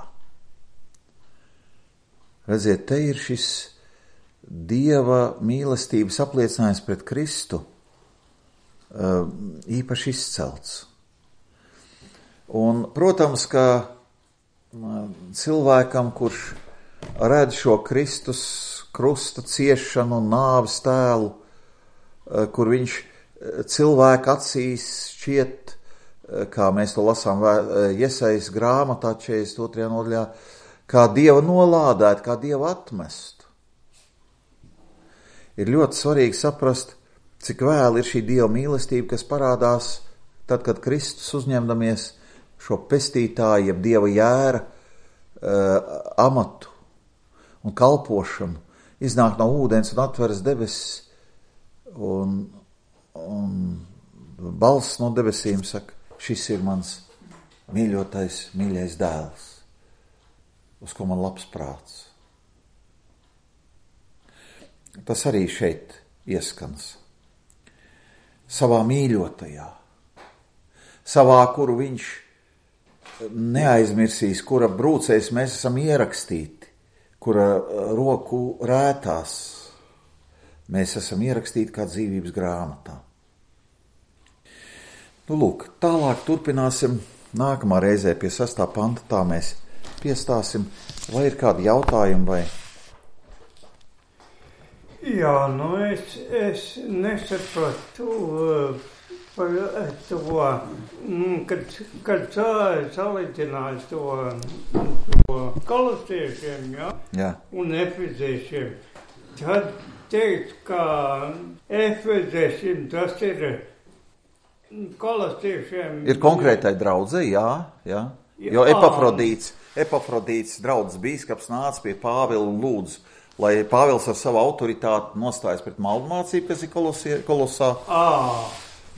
Redziet, te ir šis Dieva mīlestības apliecinājums pret Kristu īpaši izcelts. Un, protams, ka cilvēkam, kurš redz šo Kristus krusta ciešanu un nāves tēlu, kur viņš cilvēku acīs šķiet, kā mēs to lasām Jesajas grāmatā četrdesmit otrajā nodaļā, kā Dieva nolādēt, kā Dieva atmest. Ir ļoti svarīgi saprast, cik vēl ir šī Dieva mīlestība, kas parādās tad, kad Kristus uzņemdamies šo pestītāju, jeb Dieva jēra uh, amatu un kalpošanu, iznāk no ūdens un atveras debesis, un, un balss no debesīm saka, šis ir mans mīļotais, mīļais dēls, uz ko man labs prāts. Tas arī šeit ieskans. Savā mīļotajā, savā, kuru viņš neaizmirsīs, kura brūcēs mēs esam ierakstīti, kura roku rētās, mēs esam ierakstīti kā dzīvības grāmatā. Nu, lūk, tālāk turpināsim nākamā reizē pie sastā panta, tā mēs piestāsim. Vai ir kādi jautājumi vai? Jā, nu es, es nesapratu par to, kad, kad salīdzināju to, to kolosiešiem, ja? Jā. Un efeziešiem, tad teikt, ka efeziešiem tas ir kolosiešiem. Ir konkrētai draudzei, jā, jā. Jo Epafrodīts, Epafrodīts draudzes bīskaps nāca pie Pāvila un lūdzu, lai Pāvils ar savu autoritāti nostājas pret maldmācību, kas ir kolosie, kolosā. À.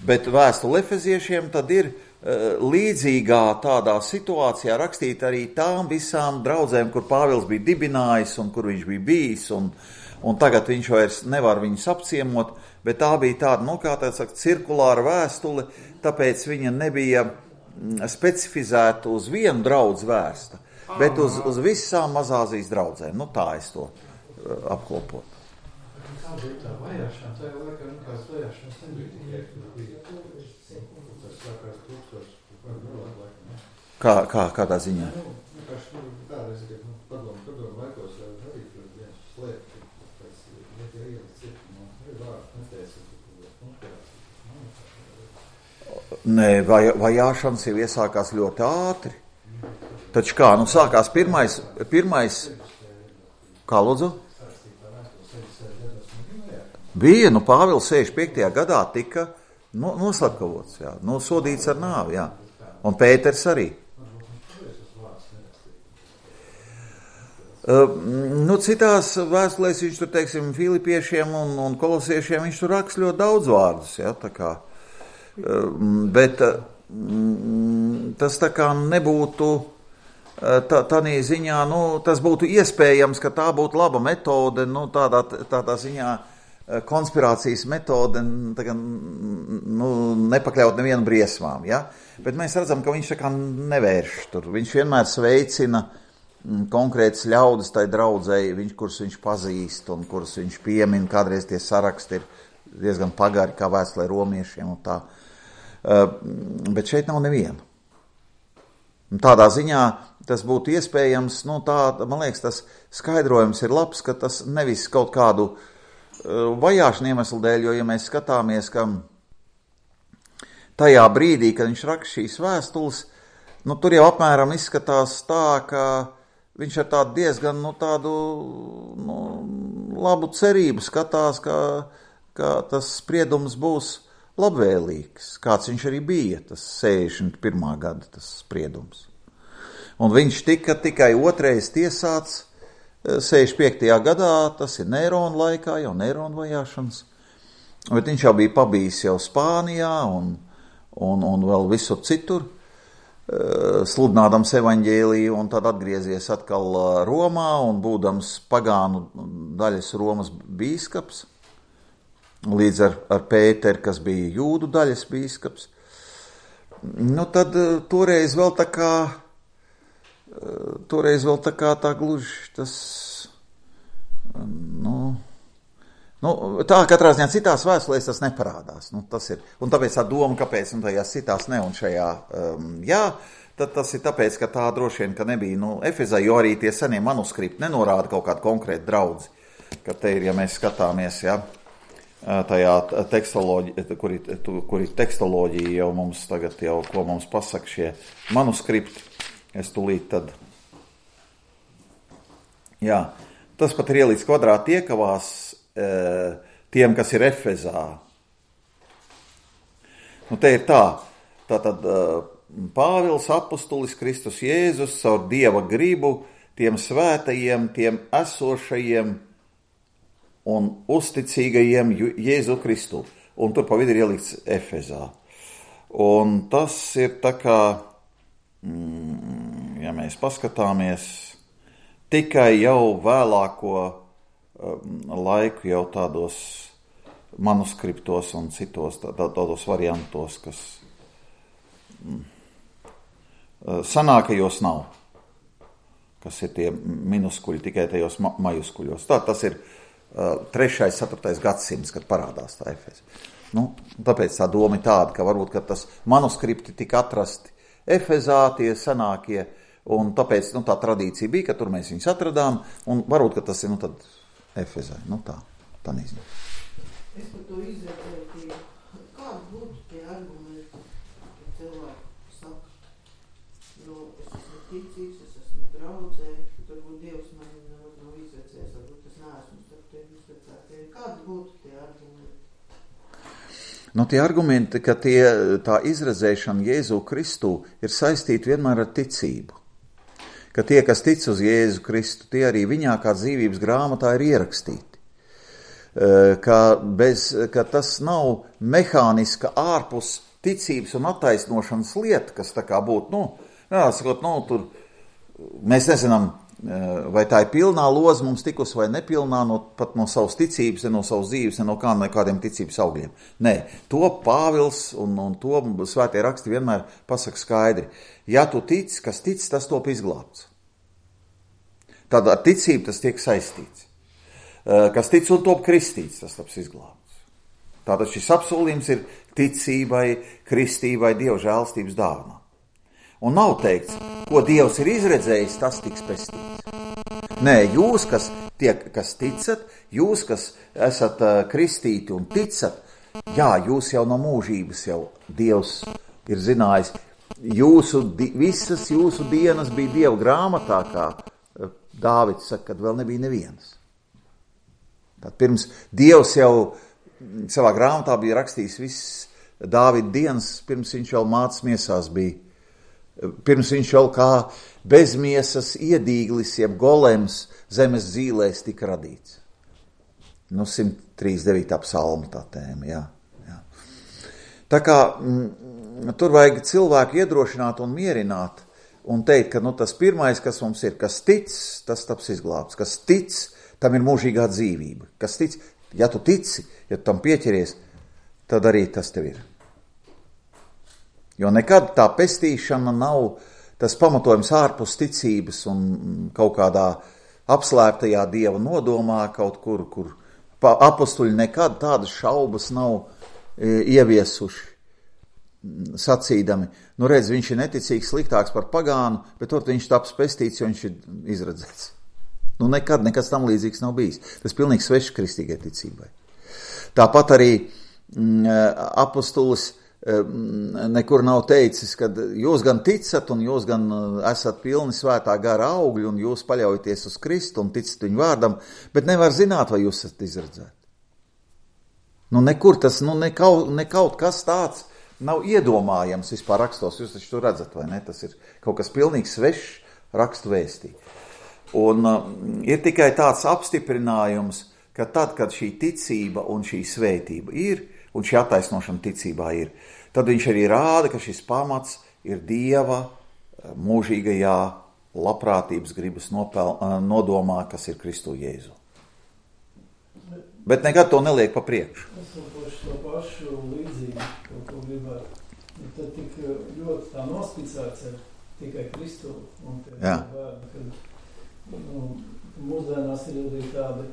Bet vēstule efeziešiem tad ir uh, līdzīgā tādā situācijā rakstīt arī tām visām draudzēm, kur Pāvils bija dibinājis un kur viņš bija bijis, un, un tagad viņš vairs nevar viņus apciemot, bet tā bija tāda, nu, kā tā saka, cirkulāra vēstule, tāpēc viņa nebija specifizēta uz vienu draudzi vērsta, bet uz, uz visām Mazāzijas draudzēm. Nu, tā es to uh, apkopot. Kā bija tā vajāšana? Tā jau laikā nekāds vajāšanas nebija tikai, kur bija tas sākās tūkstoši, Kā, kā, kādā ziņā? Nu, vienkārši, nu, kādreiz, kad, nu, padomu, padomu laikos arī viens slēpt, pēc, ja tie ielas ir, nu, ir vārds, neteica, nu, Nē, vaj, vajāšanas jau iesākās ļoti ātri. Taču kā, nu sākās pirmais, pirmais, kā lūdzu? Bija, nu Pāvils sešdesmit piektajā gadā tika no, noslepkavots, jā, nosodīts ar nāvi, jā. Un Pēters arī. Uh, nu, citās vēstulēs viņš tur, teiksim, Filipiešiem un, un Kolosiešiem, viņš tur raksta ļoti daudz vārdus, jā, tā kā. Bet tas tā kā nebūtu tā, tādā ziņā, nu, tas būtu iespējams, ka tā būtu laba metode, nu, tādā, tādā ziņā konspirācijas metode, tā kā, nu, nepakļaut nevienu briesmām, ja? Bet mēs redzam, ka viņš tā kā nevērš tur, viņš vienmēr sveicina konkrētas ļaudis tai draudzēji, viņš, kurus viņš pazīst un kurus viņš piemin, kādreiz tie saraksti ir diezgan pagari, kā vēstulē romiešiem un tā. Uh, bet šeit nav neviena. Tādā ziņā tas būtu iespējams, nu tā, man liekas, tas skaidrojums ir labs, ka tas nevis kaut kādu uh, vajāšanu iemeslu dēļ, jo, ja mēs skatāmies, ka tajā brīdī, kad viņš raksta šīs vēstules, nu tur jau apmēram izskatās tā, ka viņš ar tādu diezgan, nu tādu, nu, labu cerību skatās, ka, ka tas spriedums būs labvēlīgs, kāds viņš arī bija, tas sešdesmit pirmā gada tas spriedums. Un viņš tika tikai otrais tiesāts sešdesmit piektajā gadā, tas ir Nērona laikā, jau Nērona vajāšanas, bet viņš jau bija pabijis jau Spānijā un, un, un vēl visur citur, sludinādams evaņģēliju, un tad atgriezies atkal Romā un būdams pagānu daļas Romas bīskaps, līdz ar, ar Pēteri, kas bija jūdu daļas bīskaps. Nu, tad toreiz vēl tā kā, toreiz vēl tā kā tā gluži tas, nu, nu tā katrā ziņā citās vēstulēs tas neparādās. Nu, tas ir, un tāpēc tā doma, kāpēc, un tajās citās ne, un šajā, um, jā, tad tas ir tāpēc, ka tā droši vien, ka nebija, nu, Efezā, jo arī tie senie manuskripti nenorāda kaut kādu konkrētu draudzi, ka te ir, ja mēs skatāmies, jā, tajā tekstoloģija, kur ir, kur ir tekstoloģija jau mums tagad jau, ko mums pasaka šie manuskripti, es tūlīt tad, jā, tas pat ir ielīdz kvadrāti iekavās e, tiem, kas ir Efezā. Nu, te ir tā, tātad e, Pāvils apustulis Kristus Jēzus caur Dieva gribu tiem svētajiem, tiem esošajiem un uzticīgajiem Jēzu Kristu. Un tur pa vidu ir ielikts Efezā. Un tas ir tā kā, mm, ja mēs paskatāmies, tikai jau vēlāko um, laiku jau tādos manuskriptos un citos tā, tādos variantos, kas mm, sanākajos nav, kas ir tie minuskuļi tikai tajos ma- majuskuļos. Tā tas ir trešais, ceturtais gadsimts, kad parādās tā Efeze. Nu, tāpēc tā doma ir tāda, ka varbūt, ka tas manuskripti tika atrasti Efezā, tie senākie, un tāpēc nu, tā tradīcija bija, ka tur mēs viņus atradām, un varbūt, ka tas ir nu, tad Efezē. Nu tā, tā nezinu. Es par to izvērtēju, kāda būtu tie argumenti, ka cilvēki saka, nu, es esmu ticīgs, es esmu draudzē, varbūt Dievs man nav izvērtējis, varbūt es neesmu starp tiem izvērtētiem. Kāda būtu tie argumenti? Nu, tie argumenti, ka tie, tā izredzēšana Jēzu Kristu ir saistīta vienmēr ar ticību. Ka tie, kas tic uz Jēzu Kristu, tie arī viņā kā dzīvības grāmatā ir ierakstīti. Ka, bez, ka tas nav mehāniska ārpus ticības un attaisnošanas lieta, kas tā kā būtu, nu, jāsakot, nu, tur mēs nezinām, vai tā ir pilnā loza mums tikus vai nepilnā, no, pat no savas ticības, ne no savas dzīves, ne no kā, ne kādiem ticības augļiem. Nē, to Pāvils un, un to svētie raksti vienmēr pasaka skaidri. Ja tu tic, kas tic, tas top izglābts. Tad ar ticību tas tiek saistīts. Kas tic un top kristīts, tas taps izglābts. Tātad šis apsolījums ir ticībai, kristībai, Dieva žēlstības dāvanā. Un nav teikts, ko Dievs ir izredzējis, tas tiks pestīts. Nē, jūs, kas, tiek, kas ticat, jūs, kas esat uh, kristīti un ticat, jā, jūs jau no mūžības jau Dievs ir zinājis, jūsu, di, visas jūsu dienas bija Dieva grāmatā, kā uh, Dāvids saka, kad vēl nebija nevienas. Tad pirms Dievs jau savā grāmatā bija rakstījis viss Dāvida dienas, pirms viņš vēl mācas miesās bija. Pirms viņš jau kā bezmiesas iedīglis, jeb golems zemes zīlēs tika radīts. Nu, simt trīsdesmit devītā psalma tā tēma, jā. jā. Tā kā m, tur vajag cilvēku iedrošināt un mierināt un teikt, ka nu, tas pirmais, kas mums ir, kas tic, tas taps izglābts. Kas tic, tam ir mūžīgā dzīvība. Kas tic, ja tu tici, ja tu tam pieķeries, tad arī tas tev ir. Jo nekad tā pestīšana nav tas pamatojums ārpus ticības un kaut kādā apslēptajā Dieva nodomā kaut kur, kur apostuļi nekad tādas šaubas nav e, ieviesuši, sacīdami. Nu redz, viņš ir neticīgs, sliktāks par pagānu, bet tur viņš taps pestīts, jo viņš ir izredzēts. Nu nekad nekas tam līdzīgs nav bijis. Tas pilnīgi svešs kristīgai ticībai. Tāpat arī m, apostulis nekur nav teicis, ka jūs gan ticat un jūs gan esat pilni svētā gara augļi un jūs paļaujaties uz Kristu un ticat viņu vārdam, bet nevar zināt, vai jūs esat izredzēti. Nu nekur tas, nu nekaut, nekaut kas tāds nav iedomājams vispār rakstos, jūs taču to redzat, vai ne? Tas ir kaut kas pilnīgi svešs rakstu vēstī. Un uh, ir tikai tāds apstiprinājums, ka tad, kad šī ticība un šī svētība ir, un šī attaisnošana ticībā ir, tad viņš arī rāda, ka šis pamats ir Dieva mūžīgajā labprātības gribas nopel, nodomā, kas ir Kristu Jēzu. Bet nekad to neliek pa priekšu. Es saprošu to pašu līdzību, kaut ko gribētu. Tad tik ļoti tā nospicēts ir tikai Kristu un tie vērni, kad nu, mūsdienās ir arī tādi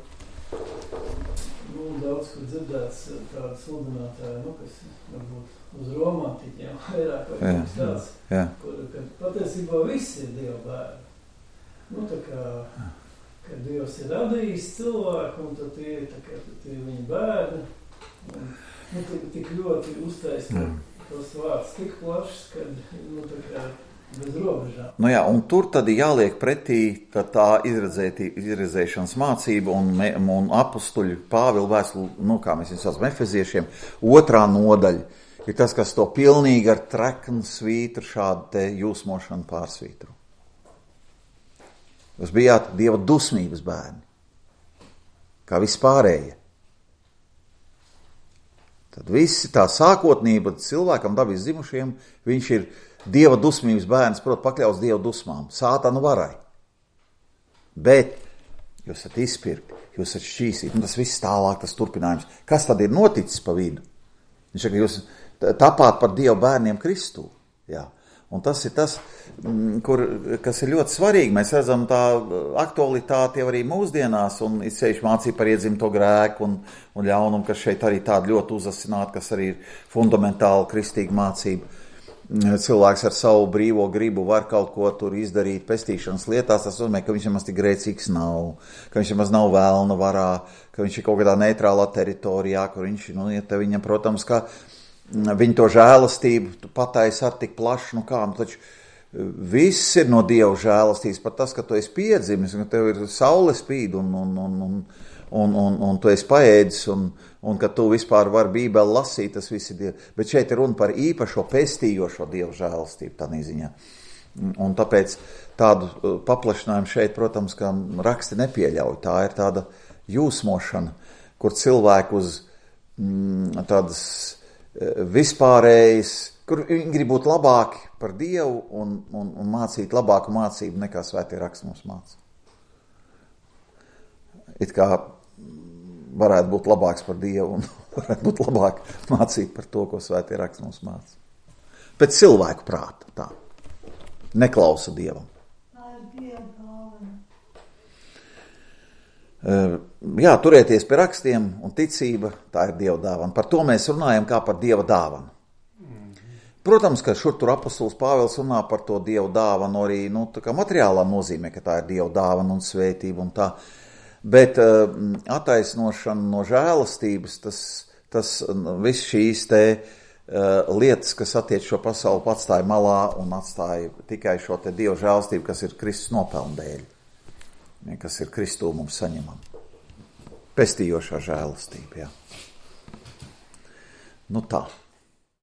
nu, daudz, kur dzirdēts tādu sludinātāju, nu, kas varbūt uz romantiķiem vairāk vai kaut kas tāds, jā. Kur, kad patiesībā viss ir Dieva bērni. Nu, tā kā, kad Dievs ir radījis cilvēku, un tad tie, tā kā, tie ir viņa bērni, un, nu, tik, tik ļoti uztais, ka tos vārds tik plašs, kad, nu, tā kā, bez robežām. Nu jā, un tur tad jāliek pretī tā izredzēšanas mācība un, un apostuļu Pāvila vēstuli, nu kā mēs viņus saucam, efeziešiem, otrā nodaļa ir tas, kas to pilnīgi ar treknu svītru šādu te jūsmošanu pārsvītru. Jūs bijāt Dieva dusmības bērni, kā vispārējie. Tad visi tā sākotnība cilvēkam dabīs zimušiem, viņš ir Dieva dusmības bērns, prot, pakļauts Dieva dusmām, sātanu varai. Bet jūs esat izpirkti, jūs esat šķīstīti, un tas viss tālāk, tas turpinājums. Kas tad ir noticis pa vidu? Viņš saka, jūs tapāt par Dieva bērniem Kristū. Jā. Un tas ir tas, kur, kas ir ļoti svarīgi. Mēs redzam tā aktualitāti jau arī mūsdienās, un it sevišķi mācība par iedzimto grēku un, un ļaunumu, kas šeit arī tāda ļoti uzasināta, kas arī ir fundamentāla kristīga mācība. Cilvēks ar savu brīvo gribu var kaut ko tur izdarīt pestīšanas lietās, tas nozīmē, ka viņš nemaz tik grēcīgs nav, ka viņš nemaz nav vēlna varā, ka viņš ir kaut kādā neitrālā teritorijā, kur viņš, nu, ja te viņam, protams, ka viņa to žēlastību patais ar tik plašu, nu kā, nu taču viss ir no Dieva žēlastības, pat tas, ka tu esi piedzimis, ka tev ir saule spīd un, un, un, un, un, un, un tu esi paēdis un, un ka tu vispār vari Bībeli lasīt, tas viss ir Dieva. Bet šeit ir runa par īpašo pestījošo Dieva žēlastību tādā ziņā. Un tāpēc tādu paplašinājumu šeit, protams, ka raksti nepieļauj. Tā ir tāda jūsmošana, kur cilvēku uz mm, tādas vispārējas, kur viņi grib būt labāki par Dievu un, un, un mācīt labāku mācību nekā svētie raksti mums māca. It kā varētu būt labāks par Dievu un varētu būt labāk mācīt par to, ko svētie raksti mums māca. Pēc cilvēku prāta, tā. Neklausa Dievam. Tā ir Dieva dāvana. Uh, jā, turēties pie rakstiem un ticība, tā ir Dieva dāvana. Par to mēs runājam kā par Dieva dāvanu. Protams, ka šur tur apostols Pāvils runā par to Dieva dāvanu arī, nu, tā kā materiālā nozīmē, ka tā ir Dieva dāvana un svētība un tā. Bet uh, attaisnošana no žēlastības, tas, tas viss šīs te uh, lietas, kas attiec šo pasauli, atstāja malā un atstāja tikai šo te Dieva žēlastību, kas ir Kristus nopelnu dēļ, kas ir Kristū mums saņemama. Pestījošā žēlastība, jā. Nu tā.